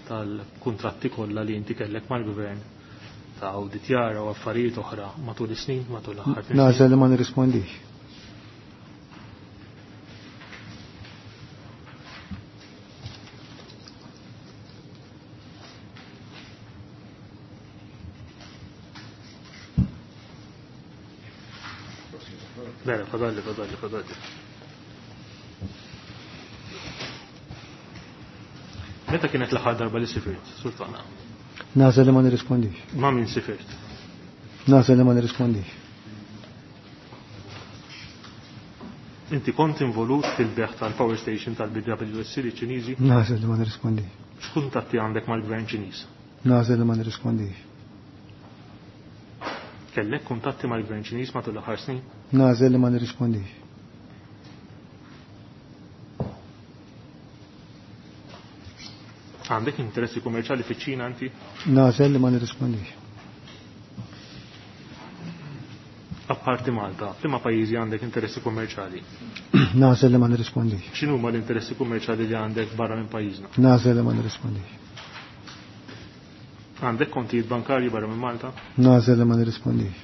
tal-kuntratti kollha li inti kellek mal-gvern ta' awditjar u affarijiet oħra matul is-snin, matul l-aħħar tmien snin? Nagħżel li ma nirrispondix. Le, fadalli, fadalli, fadalli. Meta kienet l-aħħar darba li sifirt, Sultana? Nagħżel li ma nirrispondix. Ma' min sifirt? Nagħżel li ma nirrispondix. Inti kont involut fil-beħ tal-power station tal-BWSC li Ċiniżi? Nagħżel li ma nirrispondix. X'kuntatti għandek mal-gvern Ċiniż? Nagħżel li ma nirrispondix. Kellek kuntatti mal-gvern Ċiniż matul l-aħħar snin? Nagħżel li ma nirrispondix. Għandek interessi kummerċjali fiċ-Ċina inti? Nagħżel li ma nirrispondix. Apparti Malta, f'liema pajjiżi għandek interessi kummerċjali? Nagħżel li ma nirrispondix. X'inhuma l-interessi kummerċjali li għandek barra minn pajjiżna? Nagħżel li ma nirrispondix. Għandek kontijiet bankarji barra minn Malta? Nagħżel li ma nirrispondix.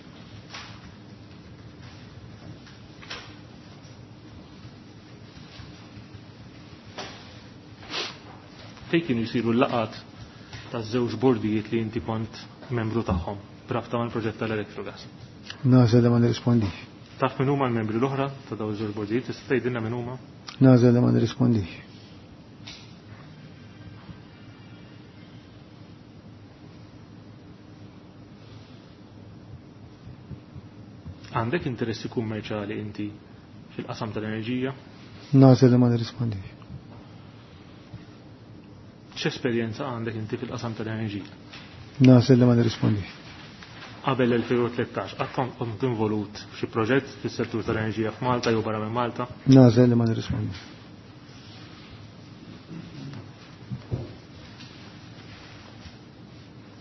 Fejn kienu jsiru l-laqgħat taż-żewġ bordijiet li inti kont membru tagħhom b'rabta mal-proġett tal-Electrogas? Nagħżel li ma nirrispondix. Taf min huma l-membri l-oħra ta' dawn iż-żewġ bordijiet, tista' tgħidilna min huma? Nagħżel li ma nirrispondix. Għandek interessi kummerċjali inti fil-qasam tal-enerġija? Nagħżel li ma nirrispondix. X'esperjenza għandek inti fil-qasam tal-enerġija? Nagħżel li ma nirrispondix. Qabel 2013, qatt kont involut f'xi proġett fis-settur tal-enerġija f'Malta jew barra minn Malta? Nagħżel li ma nirrispondix.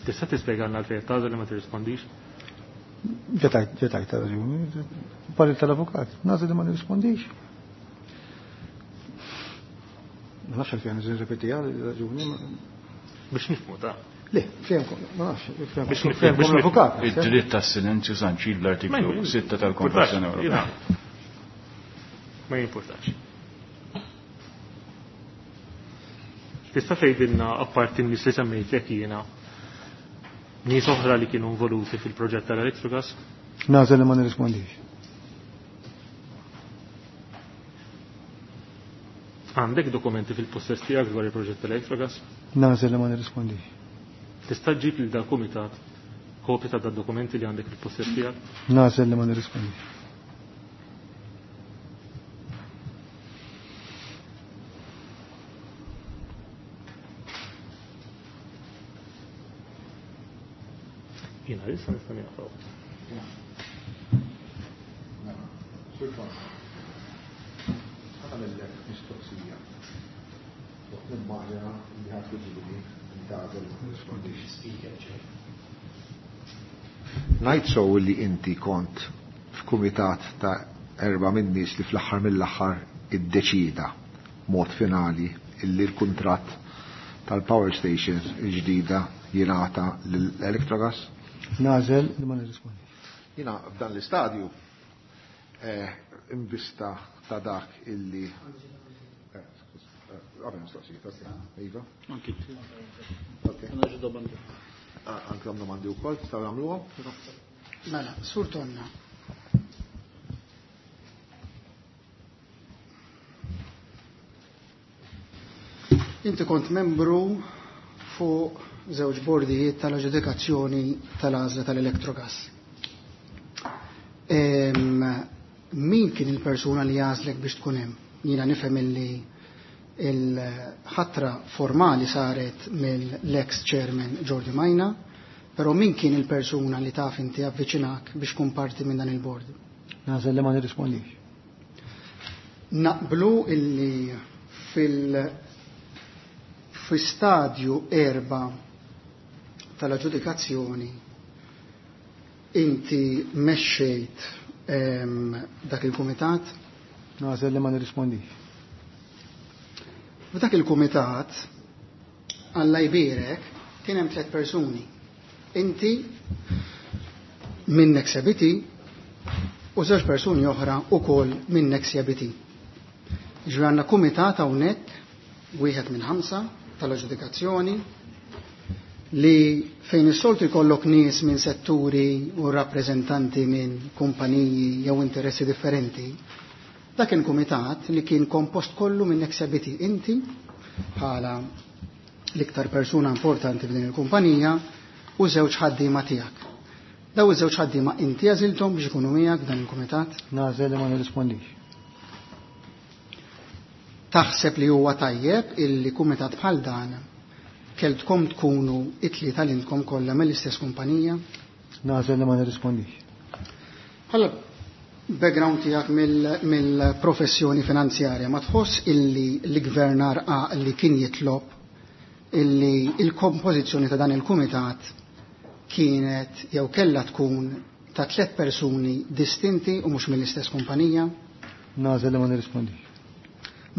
Tista' tispjegalna għalfejn tagħżel li ma tirrispondix? Ġetajt ta' raġuni. Parir tal-avukat, nagħżel li ma nirrispondix. Ma nafx għalfejn nirrepetiha raġuni. Biex nifhmu ta'. Le, fehmkom, ma nafx, fehmkom. Biex nifhmu, Fehmkom biex nifhmu. l-avukat. Id-dritt tas-silenzju sanċid l-artiklu Ma 6 tal-Konvenzjoni jimpurtax, Ewropea. Ma jimpurtax. Tista' tgħidilna apparti n-nies li semmejtlek jiena nies oħra li kienu involuti fil-proġett tal-Electrogas? Nagħżel li ma nirrispondix. Għandek dokumenti fil-possess tiegħek dwar il-proġett tal-Electrogas? Nagħżel li ma nirrispondix. Tista' ġġib lil dal-kumitat kopja ta' dal-dokumenti li għandek fil-possess tiegħek? Nagħżel li ma nirrispondix. Jiena issa nista' nieqaf. Sultan, għamillek mistoqsija. Waqt nimmaġina li ħadd jiġini ntgħażel ma nirrispondix. Ngħid sew li inti kont f'kumitat ta' 4 minn nies li fl-aħħar mill-aħħar iddeċida mod finali illi l-kuntratt tal-power station il-ġdida jingħata lill-Electrogas? Nagħżel li ma nirrispondix. Jiena f'dan l-istadju imbista ta' dak illi għabel mistoqsijiet, ok. Iva. Anki. Ok. Għandna xi domandi. Anki għandna domandi wkoll, tistgħu nagħmluhom? Mela, Sur Tonna. Inti kont membru fuq żewġ bordijiet tal-aġġudikazzjoni tal-għażla tal-Electrogas. Min kien il-persuna li għażlek biex tkun hemm? Jiena nifhem illi il-ħatra formali saret mill-ex chairman Jordi Majna, però min kien il-persuna li taf inti avviċinak biex tkun parti minn dan il-bord? Nagħżel li ma nirrispondix. Naqblu illi fi stadju 4 tal-aġġudikazzjoni inti mexxejt dak il-kumitat? Nagħżel li ma nirrispondix. F'dak il-kumitat, Alla jbierek, kien hemm 3 persuni. Inti minn Nexia BT u żewġ persuni oħra ukoll minn Nexia BT. Ġifieri għandna kumitat hawnhekk wieħed minn 5 tal-aġġudikazzjoni li fejn is-soltu jkollok nies minn setturi u rappreżentanti minn kumpaniji jew interessi differenti. Dak kien kumitat li kien kompost kollu minn Nexia BT. Inti bħala l-iktar persuna importanti f'din il-kumpanija u żewġ ħaddiema tiegħek. Daw iż-żewġ ħaddiema inti għażilthom biex ikunu miegħek f'dan il-kumitat? Nagħżel li ma nirrispondix. Taħseb li huwa tajjeb illi kumitat bħal dan keltkom tkunu it-tlieta li intkom kollha mill-istess kumpanija? Nagħżel li ma nirrispondix. Bħala background tiegħek mill-professjoni finanzjarja, ma tħoss illi l-gvernar li kien jitlob illi il-kompożizzjoni ta' dan il-kumitat kienet jew kellha tkun ta' 3 persuni distinti u mhux mill-istess kumpanija? Nagħżel li ma nirrispondix.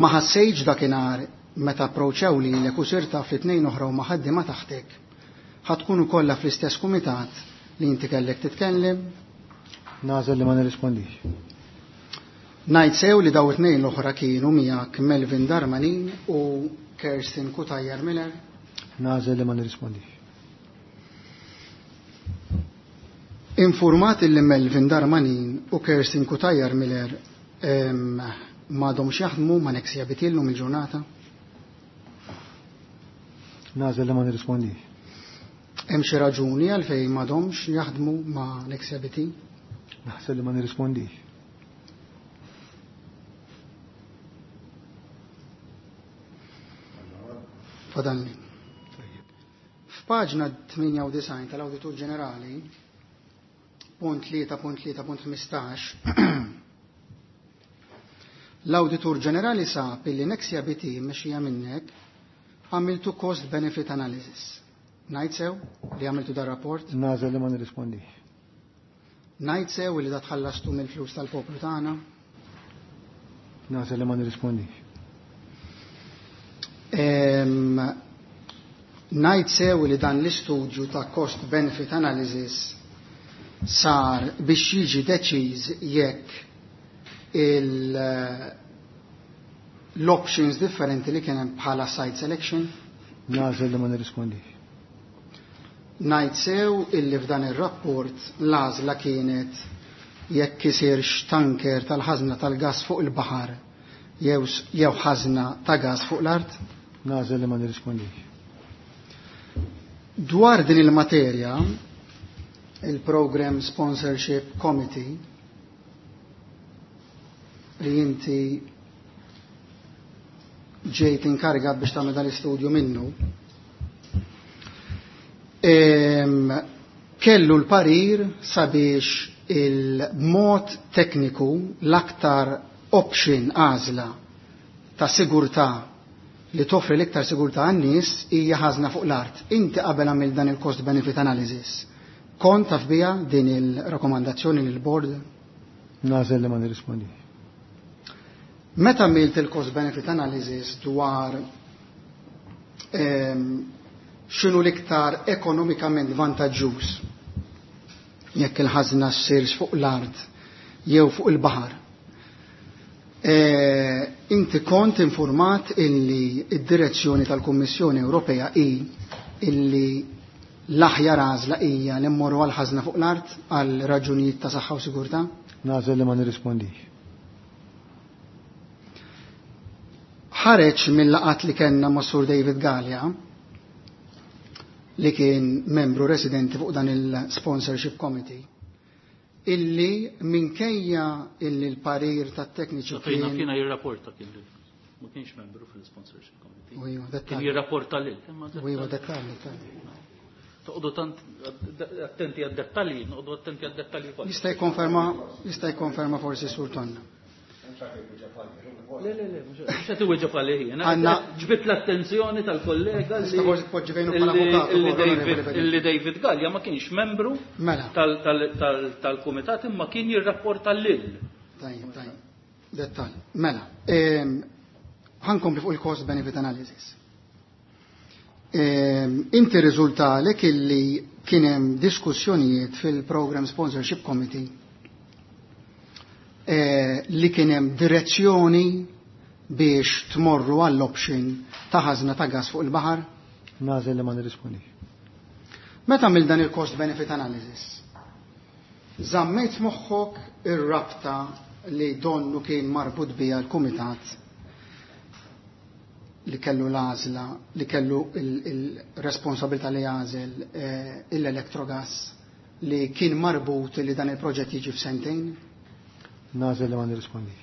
Ma ħassejtx dakinhar meta approċċew lilek u sirt taf li tnejn oħra huma ħaddiema taħtek, ħa tkunu kollha fl-istess kumitat li inti kellek titkellem? Nagħżel li ma nirrispondix. Ngħid sew li daw it-tnejn l-oħra kienu miegħek Melvin Darmanin u Kirsten Cutajar Miller? Nagħżel li ma nirrispondix. Informat li Melvin Darmanin u Kirsten Cutajar Miller m'għadhomx jaħdmu ma' Nexia BT llum il-ġurnata? Nagħżel li ma nirrispondix. Hemm xi raġuni għalfejn m'għadhomx jaħdmu ma' Nexia BT? Naħseb li ma nirrispondix. Fadalni. F'paġna 98 tal-Awditur Ġenerali, punt tlieta punt tlieta punt ħmistax, l-Awditur Ġenerali sab illi Nexia BT mexxija minnek għamiltu cost benefit analysis. Ngħid sew li għamiltu dar rapport? Nagħżel li ma nirrispondix. Ngħid sew li da tħallastu mill-flus tal-poplu tagħna? Nagħżel li ma nirrispondix. Ngħid sew li dan l-istudju ta' cost benefit analysis sar biex jiġi deċiż jekk l-options differenti li kien hemm bħala site selection? Nagħżel li ma nirrispondix. Ngħid sew illi f'dan ir-rapport l-għażla kienet jekk isirx tanker tal-ħażna tal-gas fuq il-baħar jew ħażna ta' gas fuq l-art? Nagħżel li ma nirrispondix. Dwar din il-materja, il-Program Sponsorship Committee li inti ġejt inkarigat biex tagħmel dan l-istudju minnu, kellu l-parir sabiex il-mod tekniku l-aktar option għażla ta' sigurtà li toffri l-iktar sigurtà għan-nies hija ħażna fuq l-art. Inti qabel għamil dan il-cost benefit analysis. Kont taf biha din il-rakkomandazzjoni lil board? Nagħżel li ma nirrispondix. Meta għamilt il-cost benefit analysis dwar x'inhu l-iktar ekonomikament vantaġġuż jekk il-ħażna ssirx fuq l-art jew fuq il-baħar. Inti kont informat illi id-direzzjoni tal-Kummissjoni Ewropea hi illi l-aħjar għażla hija li mmorru għal ħażna fuq l-art għal raġunijiet ta' saħħa u sigurtà? Nagħżel li ma nirrispondix. Ħareġ mill-laqat li kellna ma' Sur David Galea li kien membru residenti fuq dan il-sponsorship committee illi minkejja illi l-parir tat-tekniċi Fejna kiena jirrapporta kien lil. Ma kienx membru fil-sponsorship committee. U iva, Kien dettalji. jirrapporta lil. Imma U iva, dettalji, dettalji. Toqgħodu tant attenti għad-dettalji, noqogħdu attenti għad-dettalji kollha. Jista' jikkonferma jista' jikkonferma forsi Sur Tonna. Le, le, le, mhux qed iwieġeb għalih jien. Ġbit l-attenzjoni tal-kollega li Tista' forsi tpoġġi fejnu bħala avukat illi ukoll, David Onorevoli Bedin. illi David Gallia ma kienx membru Mela. tal-kumitat imma kien jirrapporta lil. Tajjeb, tajjeb. Dettal. Mela, ħankompli fuq il-cost benefit analysis. Inti riżultalek illi kien hemm diskussjonijiet fil-Program Sponsorship Committee li kien hemm direzzjoni biex tmorru għall-option ta' ħażna ta' gas fuq il-baħar? Nagħżel li ma nirrispondix. Meta għamil dan il-cost benefit analysis? Żammejt moħħok ir-rabta li donnu kien marbut bija l-kumitat li kellu l-għażla, li kellu il-responsabilità li jagħżel l-Electrogas li kien marbut li dan il-proġett jiġi f'sentejn? Nagħżel li ma nirrispondix.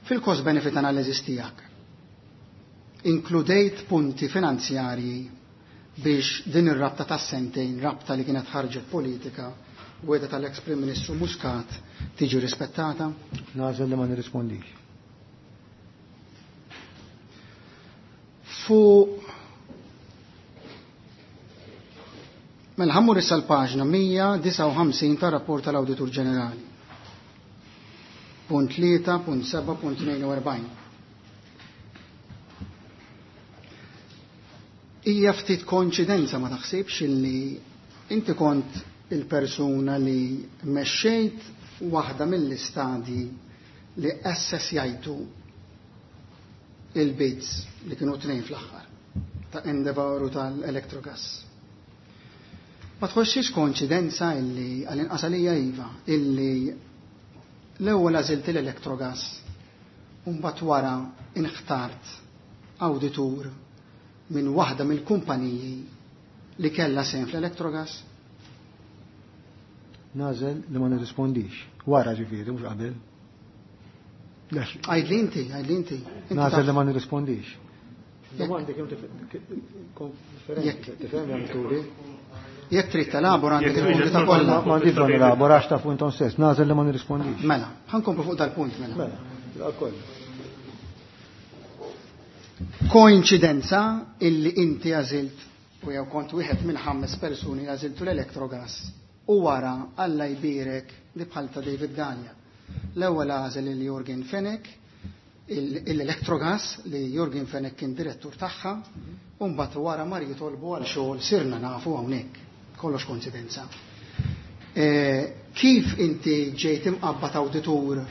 Fil-cost benefit analysis tiegħek, inkludejt punti finanzjarji biex din ir-rabta ta' sentejn, rabta li kienet ħarġet politika, weda tal-ex Prim Ministru Muscat tiġi rispettata? Nagħżel li ma nirrispondix. Fu Mela ħammur issa l-paġna 159 tar-rapport tal-Awditur Ġenerali. Punt 3.7.42. Hija ftit koinċidenza ma taħsibx illi inti kont il-persuna li mexxejt waħda mill-istadji li assessjajtu il-bids li kienu tnejn fl-aħħar ta' Endeavour u tal-Electrogas. Ma tħossix koinċidenza illi għall-inqas għalija iva illi l-ewwel għażilt l-Electrogas u mbagħad wara inħtart awditur minn waħda mill-kumpaniji li kellha sehem fl-Electrogas? Nagħżel li ma nirrispondix. Wara ġifieri, mhux qabel. Għajdli inti, għajdli inti. Inti Nagħżel taf. li ma nirrispondix. Domandi kemm differenti, tifhem jagħmel turi. Jekk trid telabora għandek il-punti ta' kollha. Ma m'għandix bżonn nelabora għax tafu intom stess, nagħżel li ma nirrispondix. Mela, ħankomplu fuq dal-punt mela. Mela, kollha. Koinċidenza illi inti għażilt u jew kont wieħed minn 5 persuni li għażiltu l-Electrogas u wara Alla jbierek li bħal ta' David Galea. L-ewwel għażel lil Yorgen Fenech, l-Electrogas li Yorgen Fenech kien direttur tagħha, u mbagħad wara mar jitolbu għal xogħol sirna nafu hawnhekk. Kollox koincidenza. Kif inti ġejt imqabbad awditur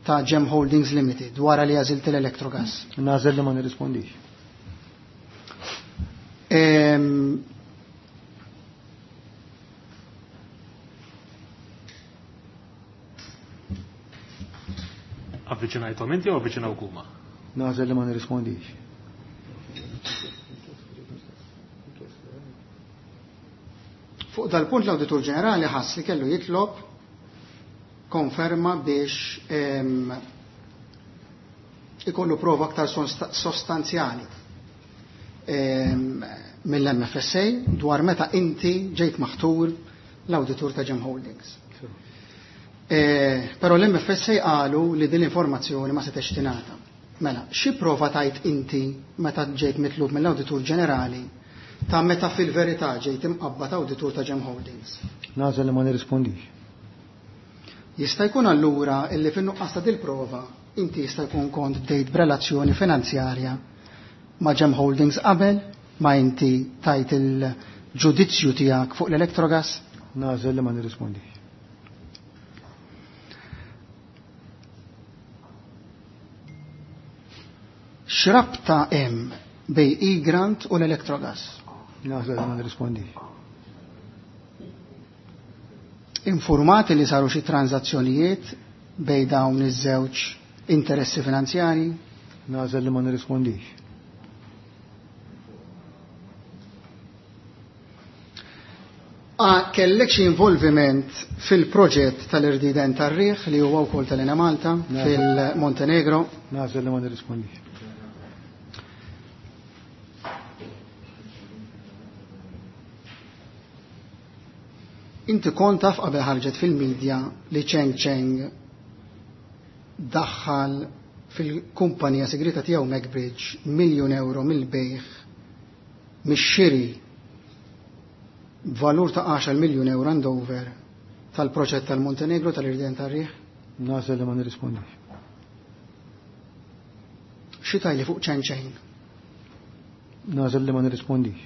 ta' Gem Holdings Limited wara li għażilt l-Electrogas? Nagħżel li ma nirrispondix. Avviċinajthom inti jew avviċinawk huma? Nagħżel li ma nirrispondix. Fuq dal-punt l-Awditur Ġenerali ħass li kellu jitlob konferma biex ikollu prova aktar sostanzjali mill-MFSA dwar meta inti ġejt maħtur l-Awditur ta' Gem Holdings. Però l-MFSA qalu li din l-informazzjoni ma setgħetx tingħata. Mela, xi prova tajt inti meta ġejt mitlub mill-Awditur Ġenerali ta' meta fil-verità ġejt imqabbad awditur ta' Gem Holdings? Nagħżel li ma nirrispondix. Jista' jkun allura illi fin-nuqqas ta' dil-prova inti jista' jkun kont bdejt b'relazzjoni finanzjarja ma' Gem Holdings qabel ma inti tajt il-ġudizzju tiegħek fuq l-Electrogas? Nagħżel li ma nirrispondix. X'rabta hemm bej Egrant u l-Electrogas? Nagħżel li ma nirrispondix. Informati li saru xi tranzazzjonijiet bej dawn iż-żewġ interessi finanzjari? Nagħżel li ma nirrispondix. Kellek xi involviment fil-proġett tal-irdiden tar-riħ li huwa wkoll tal-Enemalta fil-Montenegro? Nagħżel li ma nirrispondix. Inti kont taf qabel ħarġet fil-medja li Cheng Cheng daħħal fil-kumpanija segreta tiegħu MacBridge 1 miljun euro mill-bejgħ mix-xiri valur ta' 10 miljun euro and over tal-proġett tal-Montenegro tal-Irdien tar-Riħ? Nagħżel li ma nirrispondix. Xi tgħidli fuq Cheng Cheng? Nagħżel li ma nirrispondix.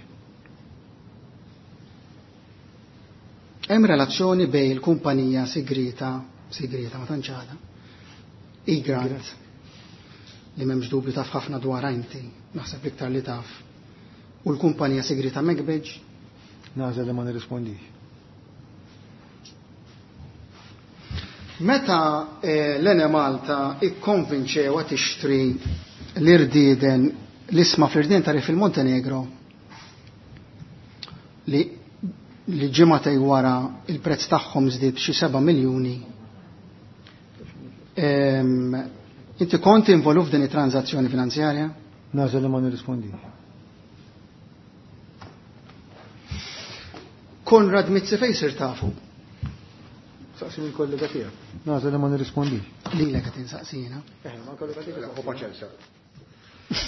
Hemm relazzjoni bejn il-kumpanija segreta, segreta ma tantx għadha, Egrant, li m'hemmx dubju taf ħafna dwar inti, naħseb iktar li taf, u l-kumpanija segreta MacBridge? Nagħżel li ma nirrispondix. Meta l-Enemalta ikkonvinċewa tixtri l-irdieden l-ishma fl-irdien tar-riħ fil-Montenegro li ġimagħtejn wara il-prezz tagħhom żdied xi 7 miljuni. Inti kont involut f'din it-transazzjoni finanzjarja? Nagħżel li ma nirrispondix. Konrad Mizzi fejn sir tafu? Saqsi mill-kollega tiegħek. Nagħżel li ma nirrispondix. Lilek qed insaqsina. Ma kollega tiegħek. Hu paċenzja.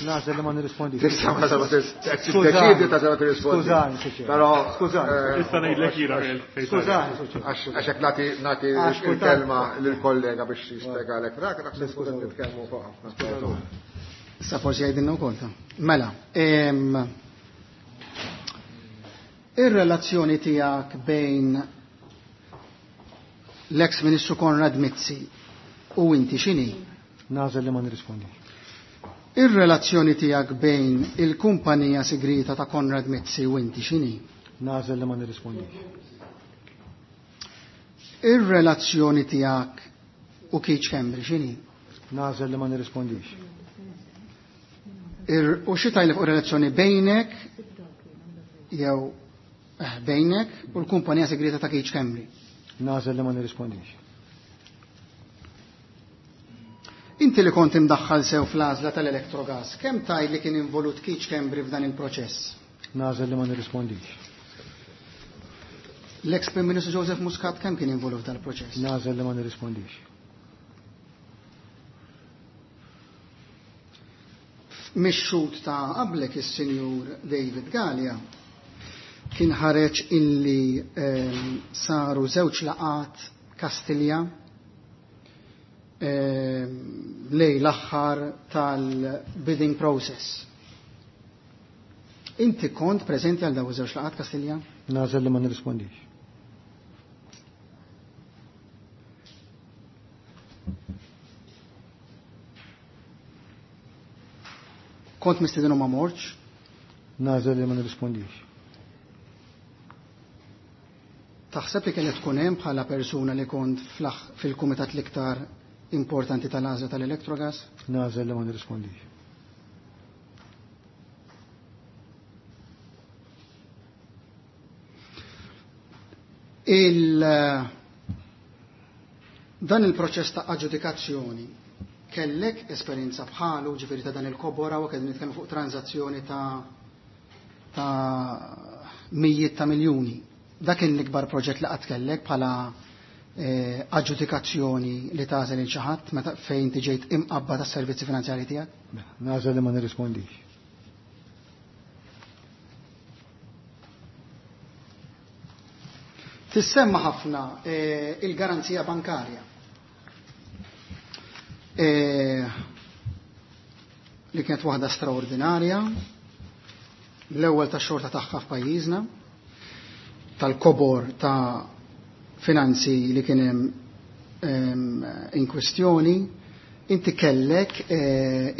Nagħżel li ma nirrispondix. Tista' ma tiddeċidi ta' ma tirrispondi. Skużani, Suċer. Però Skużani. Issa ngħidlek jiena Skużani, Suċer. Għax hekk nagħti Għax il-kelma lill-kollega biex jispjegalek dak, naħseb Skużani. nitkellmu fuq ħafna. Issa forsi jgħidilna wkoll ta'. Mela, ir-relazzjoni tiegħek bejn l-ex Ministru Konrad Mizzi u inti x'inhi? Nagħżel li ma nirrispondix. Ir-relazzjoni tiegħek bejn il-kumpanija segreta ta' Konrad Mizzi u inti x'inhi? Nagħżel li ma nirrispondix. Ir-relazzjoni tiegħek u Keith Schembri x'inhi? Nagħżel li ma nirrispondix. U xi tgħidli fuq relazzjoni bejnek jew bejnek u l-kumpanija segreta ta' Keith Schembri? Nagħżel li ma nirrispondix. Inti li kont imdaħħal sew fl-għażla tal-Electrogas, kemm tgħid li kien involut Keith Schembri f'dan il-proċess? Nagħżel li ma nirrispondix. L-ex Prim Ministru Joseph Muscat kemm kien involut f'dan il-proċess? Nagħżel li ma nirrispondix. Mix-xhud ta' qablek is-Sinjur David Galea kien ħareġ illi saru żewġ laqat Kastilja lejn l-aħħar tal-bidding process. Inti kont preżenti għal dawn iż-żewġ laqat Kastilja? Nagħżel li ma nirrispondix. Kont mistieden u ma mortx? Nagħżel li ma nirrispondix. Taħseb li kellek tkun hemm bħala persuna li kont fil-kumitat l-iktar importanti tal-għażla tal-Electrogas? Nagħżel li ma nirrispondix. Dan il-proċess ta' aġġudikazzjoni kellek esperjenza bħalu, ġifieri ta' dan il-kobora, u qegħdin nitkellmu fuq transazzjoni ta' mijiet ta' miljuni. Dak kien l-ikbar proġett li qatt kellek bħala aġġudikazzjoni li tagħżel il xi ħadd meta fejn tiġejt imqabba tas-servizzi finanzjarji tiegħek? Nagħżel li ma nirrispondix. Tissemma ħafna il-garanzija bankarja. Li kienet waħda straordinarja, l-ewwel ta' xorta tagħha f'pajjiżna, tal-kobor ta' finanzi li kien hemm in kwestjoni, inti kellek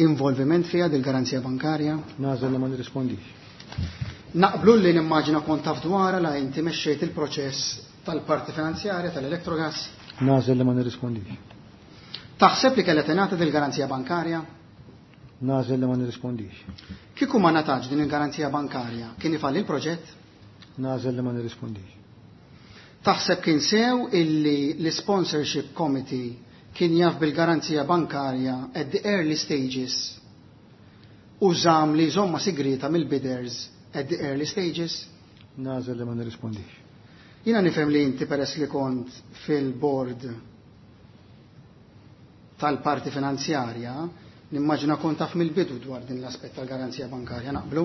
involviment fiha dil-garanzija bankarja? Nagħżel li ma nirrispondix. Naqblu li nimmaġina kont taf dwarha la inti mexxejt il-proċess tal-parti finanzjarja tal-Electrogas? Nagħżel li ma nirrispondix. Taħseb li kellha tingħata dil-garanzija bankarja? Nagħżel li ma nirrispondix. Kieku ma ngħatax din il-garanzija bankarja, kien ifalli l-proġett? Nagħżel li ma nirrispondix. Taħseb kien sew illi l-sponsorship committee kien jaf bil-garanzija bankarja at the early stages u żamm li jżommha sigrita mill-bidders at the early stages? Nagħżel li ma nirrispondix. Jiena nifhem li inti peress li kont fil-board tal-parti finanzjarja, nimmaġina kont taf mill-bidu dwar din l-aspett tal-garanzija bankarja, naqblu?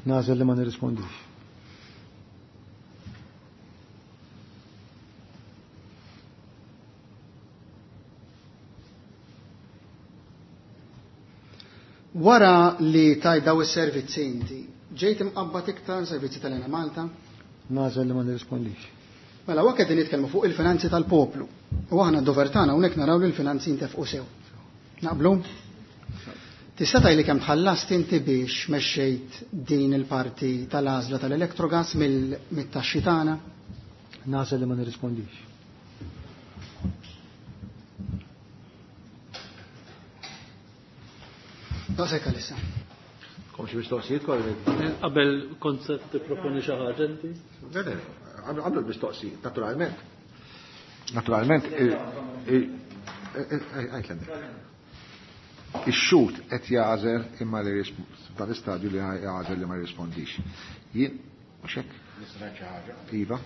Nagħżel li ma nirrispondix. Wara li tajt daw is-servizzi inti, ġejt imqabbad iktar servizzi tal-Enemalta? Nagħżel li ma nirrispondix. Mela, hawnhekk qegħdin nitkellmu fuq il-finanzi tal-poplu. U aħna d-dover tagħna hawnhekk naraw li l-finanzi jintefqu sew. Naqblu? Tista' tgħidli kemm tħallast inti biex mexxejt din il-parti tal-għażla tal-Electrogas mit-taxxi tagħna? Nagħżel li ma nirrispondix. Daqshekk għalissa. Kom xi mistoqsijiet kollegi? Qabel kont se tipproponi xi ħaġa inti? Le, le, għamlu l-mistoqsijiet, naturalment. Naturalment, ix-xhud qed jagħżel imma li dan l-istadju li jagħżel li ma jirrispondix. Jien mhux hekk? Nista' ngħid xi ħaġa? Iva.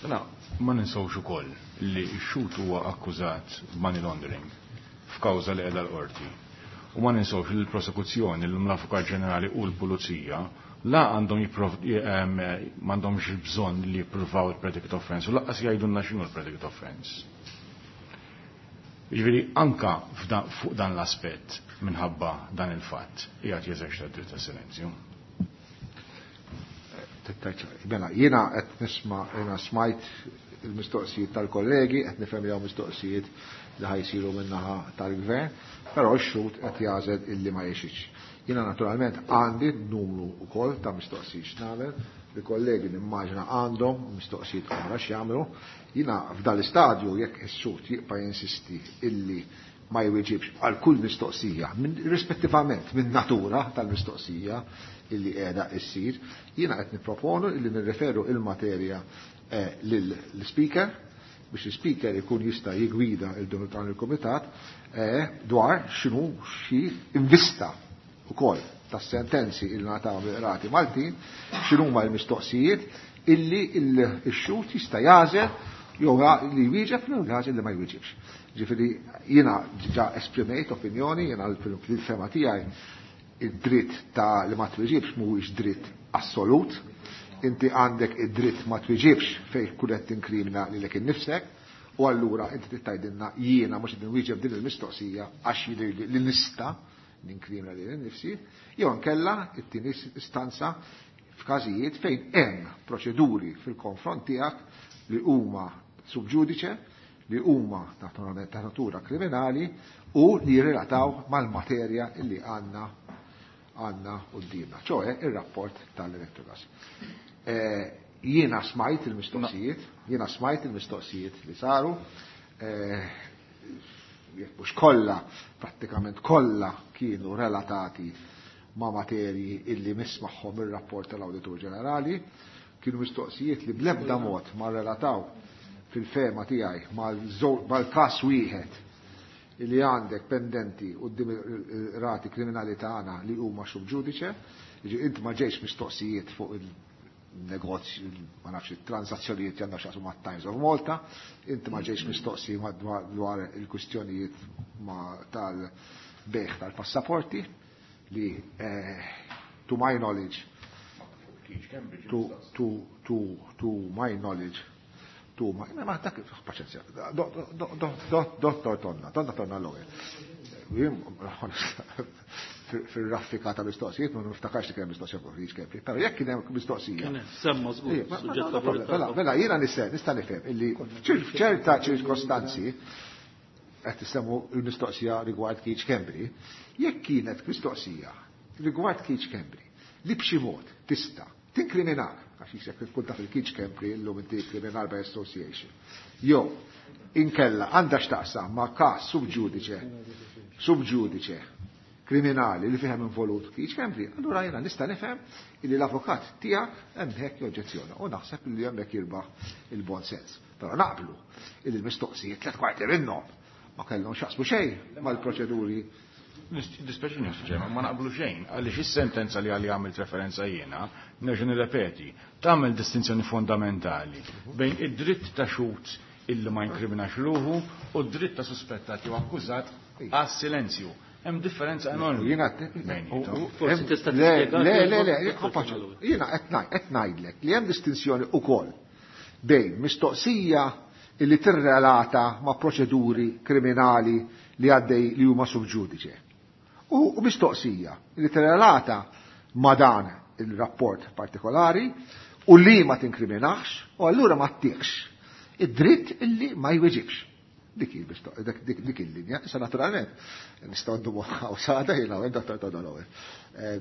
Mela, ma ninsewx ukoll li x-xhud huwa akkużat b'money laundering f'kawża li qiegħda l-qorti. U ma ninsewx li l-prosekuzzjoni, l-Avukat Ġenerali u l-Pulizija la għandhom m'għandhomx bżonn li jippruvaw il-predicate offense u lanqas jgħidulna x'inhu l-predicate offense. Jiġifieri anka fuq dan l-aspett minħabba dan il-fatt qiegħed jeżerċita d-dritt ta' silenzju. Mela, jiena qed nisma' jiena smajt il-mistoqsijiet tal-kollegi, qed nifhem li hawn mistoqsijiet li ħajsiru min-naħa tal-gvern, però x-xhud qed jagħżel illi ma jixitx. Jiena naturalment għandi numru wkoll ta' mistoqsijiet x'nagħmel, li kollegi nimmaġina għandhom mistoqsijiet oħra x'jagħmlu. Jiena f'dan l-istadju jekk ix-xhud jibqa' jinsisti illi ma jwieġibx għal kull mistoqsija, rispettivament minn natura tal-mistoqsija illi qiegħda issir, jiena qed nipproponu illi nirreferu il-materja lill-speaker biex l-speaker ikun jista' jigwida il-dan il-kumitat dwar x'inhu xi invista ukoll tas-sentenzi illi ngħataw mill-qrati Maltin, x'inhuma l-mistoqsijiet illi x-xhud jista' jagħżel jew li jwieġeb jew jagħżel li ma jwieġibx. Ġifieri jiena ġa esprimejt opinjoni, jiena fil-fema tiegħi id-dritt ta' li ma twieġibx mhuwiex dritt assolut. Inti għandek id-dritt ma twieġibx fejn kull qed tinkrimina lilek innifsek, u allura inti trid tgħidilna jiena mhux qed inwieġeb din il-mistoqsija għax jidhirli li nista' ninkrimina lili nnifsi, jew inkella it-tieni istanza f'każijiet fejn hemm proċeduri fil-konfront tiegħek li huma sub judice, li huma naturalment ta' natura kriminali u li jirrelataw mal-materja illi għandna quddiemna, ċoe ir-rapport tal-Electrogas. Jiena smajt il-mistoqsijiet, jiena smajt il-mistoqsijiet li saru, jekk mhux kollha, prattikament kollha kienu relatati ma' materji illi mismagħhom ir-rapport tal-Awditur Ġenerali, kienu mistoqsijiet li bl-ebda mod ma relataw fil-fema tiegħi mal-każ wieħed li għandek pendenti quddiem il-rati kriminali tagħna li huma sub judice, jiġi int ma ġejx mistoqsijiet fuq il-negozju, ma nafx it-transazzjonijiet li għandha x'jaqsmu mat-Times of Malta, inti ma ġejx mistoqsi dwar il-kwistjonijiet tal-bejħ tal-passaporti li to my knowledge, to my knowledge, to my, ma dak, paċenzja, dottor Tonna, Tonna Tonna l-ewwel. Fil-raffika ta' mistoqsijiet, ma niftakarx li kien mistoqsija fuq Keith Schembri, però jekk kien hemm mistoqsija. Kien hemm, semma żgur, suġġett ta' verità. Mela, jiena nista' nifhem illi f'ċerta ċirkostanzi qed tissemmu l-mistoqsija rigward Keith Schembri, jekk kienet mistoqsija rigward Keith Schembri li b'xi mod tista' tinkriminak, għax jisek tkun taf il-Keith Schembri illum inti criminal by association. Jew inkella għandha x'taqsam ma' każ sub judice, sub judice. kriminali li fihem involut Keith Schembri, allura jiena nista' nifhem illi l-avukat tiegħek hemmhekk joġġezzjona u naħseb li hemmhekk jirbaħ il-bon sens. Però naqblu illi l-mistoqsijiet 3/4 minnhom ma kellhom x'jaqsmu xejn mal-proċeduri. Dispeċini, Ġemma, ma naqblu xejn, għaliex is-sentenza li għalli għamilt referenza jiena, nerġa' nirrepeti, tagħmel distinzjoni fondamentali bejn id-dritt ta' xhud illi ma jinkriminax ruħu u d-dritt ta' suspettat jew akkużat għas-silenzju. Hemm differenza enormi. Jiena Forsi tista' Le, tispjega le, kif le, le, Dottor jiena qed ngħidlek li hemm distinzjoni ukoll bejn mistoqsija illi tirrelata ma' proċeduri kriminali li għaddej li huma sub ġudice. U mistoqsija li tirrelata ma' dan il-rapport partikolari u li ma tinkriminax u allura ma ttiekx id-dritt illi ma jweġibx. Dik il-linja, issa naturalment, nistgħu ndumu hawn sada jiena u Dottor Todorow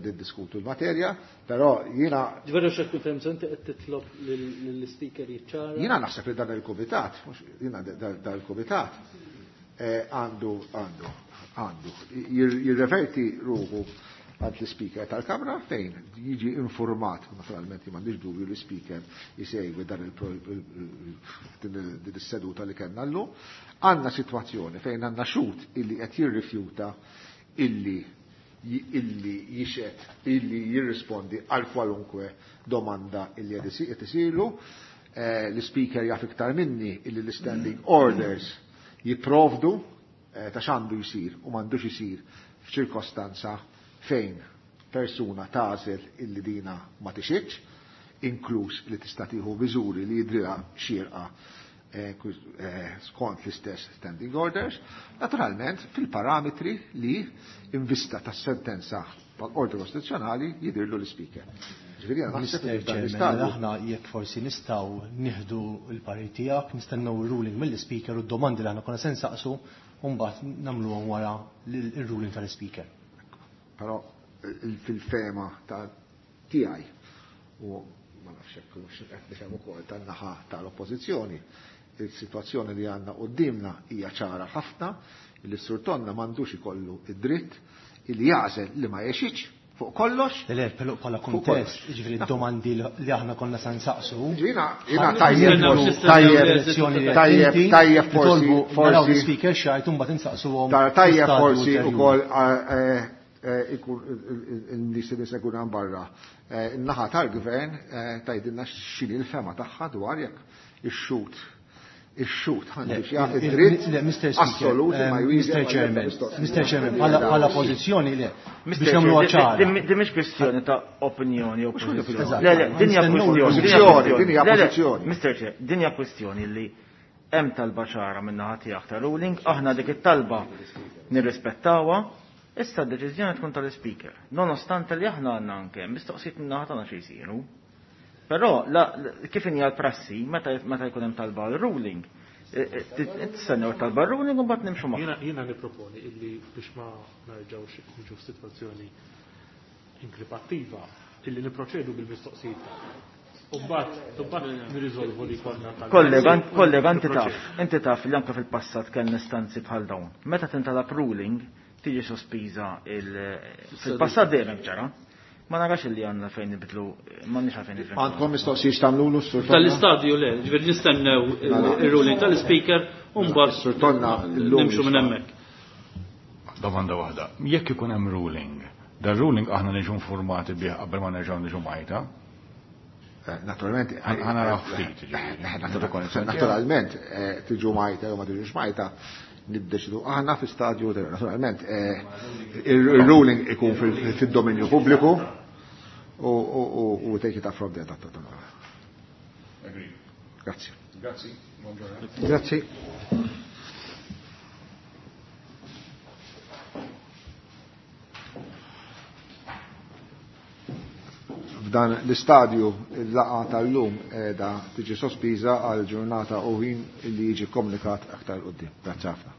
niddiskutu l-materja, però jiena Ġveru x'qed tkun fhem inti qed titlob lill-speaker jiċċara. Jiena naħseb li dan il-kumitat, mhux jiena dan il-kumitat għandu, għandu, għandu jirreverti ruħu għand l-speaker tal-Kamra fejn jiġi informat, naturalment m'għandix dubju li l-speaker jisegwi dan din is-seduta li kellna llum. Għandna sitwazzjoni fejn għandna xhud illi qed jirrifjuta illi jixed, illi jirrispondi għal kwalunkwe domanda illi qed isiru. L-speaker jaf iktar minni illi l-standing orders jipprovdu ta' x'għandu jsir u m'għandux isir f'ċirkostanza fejn persuna tagħżel illi dina ma tixitx, inkluż li tista' tieħu miżuri li jidrilha xierqa skont l-istess standing orders, naturalment fil-parametri li invista tas-sentenza tal-Qorti Kostituzzjonali jidhirlu l-Speaker. Ġifieri jiena naħseb li Mister f'dan Chairman, l-istadju aħna jekk forsi nistgħu nieħdu l-parir tiegħek, nistennew ir-ruling mill-Speaker u d-domandi li aħna konna se nsaqsu u mbagħad nagħmluhom wara l-ruling tal-Speaker. Però fil-fema ta' tiegħi u ma nafx hekk hux qed nifhem ukoll tan-naħa tal-Oppożizzjoni, il-sitwazzjoni li għandna qudiemna hija ċara ħafna li s-Sur Tonna m'għandux ikollu id-dritt illi jagħżel li ma jexitx fuq kollox. Le, le, però bħala Fuq kuntest, kollox. jiġifieri d-domandi li aħna konna se nsaqsu. Jiena, jiena Ħalli tajjeb nistennew forsi, l-elezzjoni tajjeb, li qed tajjeb, inti tajjeb forsi, nitolbu naraw forsi. l-speaker x'jgħid u mbagħad insaqsuhom Tajjeb fl-istadju forsi ulterjuri. ukoll, ikun il-nies li seguna barra. In-naħa tal-gvern tgħidilna x'inhi l-fema tagħha dwar jekk ix-xut għandu Le, xi le, id-dritt le, Mister Speaker, assolut ma jwieġeb Mister għal Chairman, mistoqsija. Mister Chairman, bħala pożizzjoni le, Mister biex nagħmluha Chair, ċara. di mhix kwestjoni ta' opinjoni jew Mhux kwestjoni pożizzjoni. Eżatt. Le, le, din hija Nistennew kwestjoni, din hija l-pożizzjoni, din hija Le, le, pożizzjoni. Mister Chair, din hija kwestjoni li hemm talba ċara minn naħa tiegħek ta' ruling, aħna dik it-talba nirrispettawha, issa d-deċiżjoni tkun tal-speaker. Nonostante li aħna għandna anke mistoqsijiet minn naħa tagħna xi jsiru. Però kif inhi l-prassi, meta jkun hemm talba għal ruling, tistennew talba ruling u mbagħad nimxu magħha. Jiena nipproponi illi biex ma nerġgħux niġu f'sitwazzjoni inkripattiva, illi niproċedu bil-mistoqsijiet tagħna. U mbagħad nirriżolvu li konna tal- Kollega, kollega, inti taf, Niproċedu. inti taf li anke fil-passat kellna istanzi bħal dawn. Meta tintalab ruling, tiġi sospiża fil-passat dejjem hekk ġara. Ma narax illi għandna fejn nibdlu, ma nix għalfejn nibdlu. Għandkom mistoqsijiet tagħmlulu s-Sur Tonna? Tal-istadju le, ġifieri nistennew ir-ruling tal-speaker u mbagħad Sur Tonna, illum nimxu minn jista' hemmhekk. Domanda waħda. Jekk ikun hemm ruling, dan ruling aħna niġu informati bih qabel ma nerġgħu niġu majta? Naturalment, Ħa naraw ftit, ġifieri. Naturalment, tiġu majta jew ma tiġux majta, niddeċidu aħna fi stadju naturalment il-ruling ikun fil-dominju pubbliku u take it up from there, Dottor Tonna. Agree. Grazie. Grazie. Buongiorno. Grazie. F'dan l-istadju il-laqgħa tal-lum qiegħda tiġi sospiża għal ġurnata u ħin li jiġi komunikat aktar quddiem. Grazzi ħafna.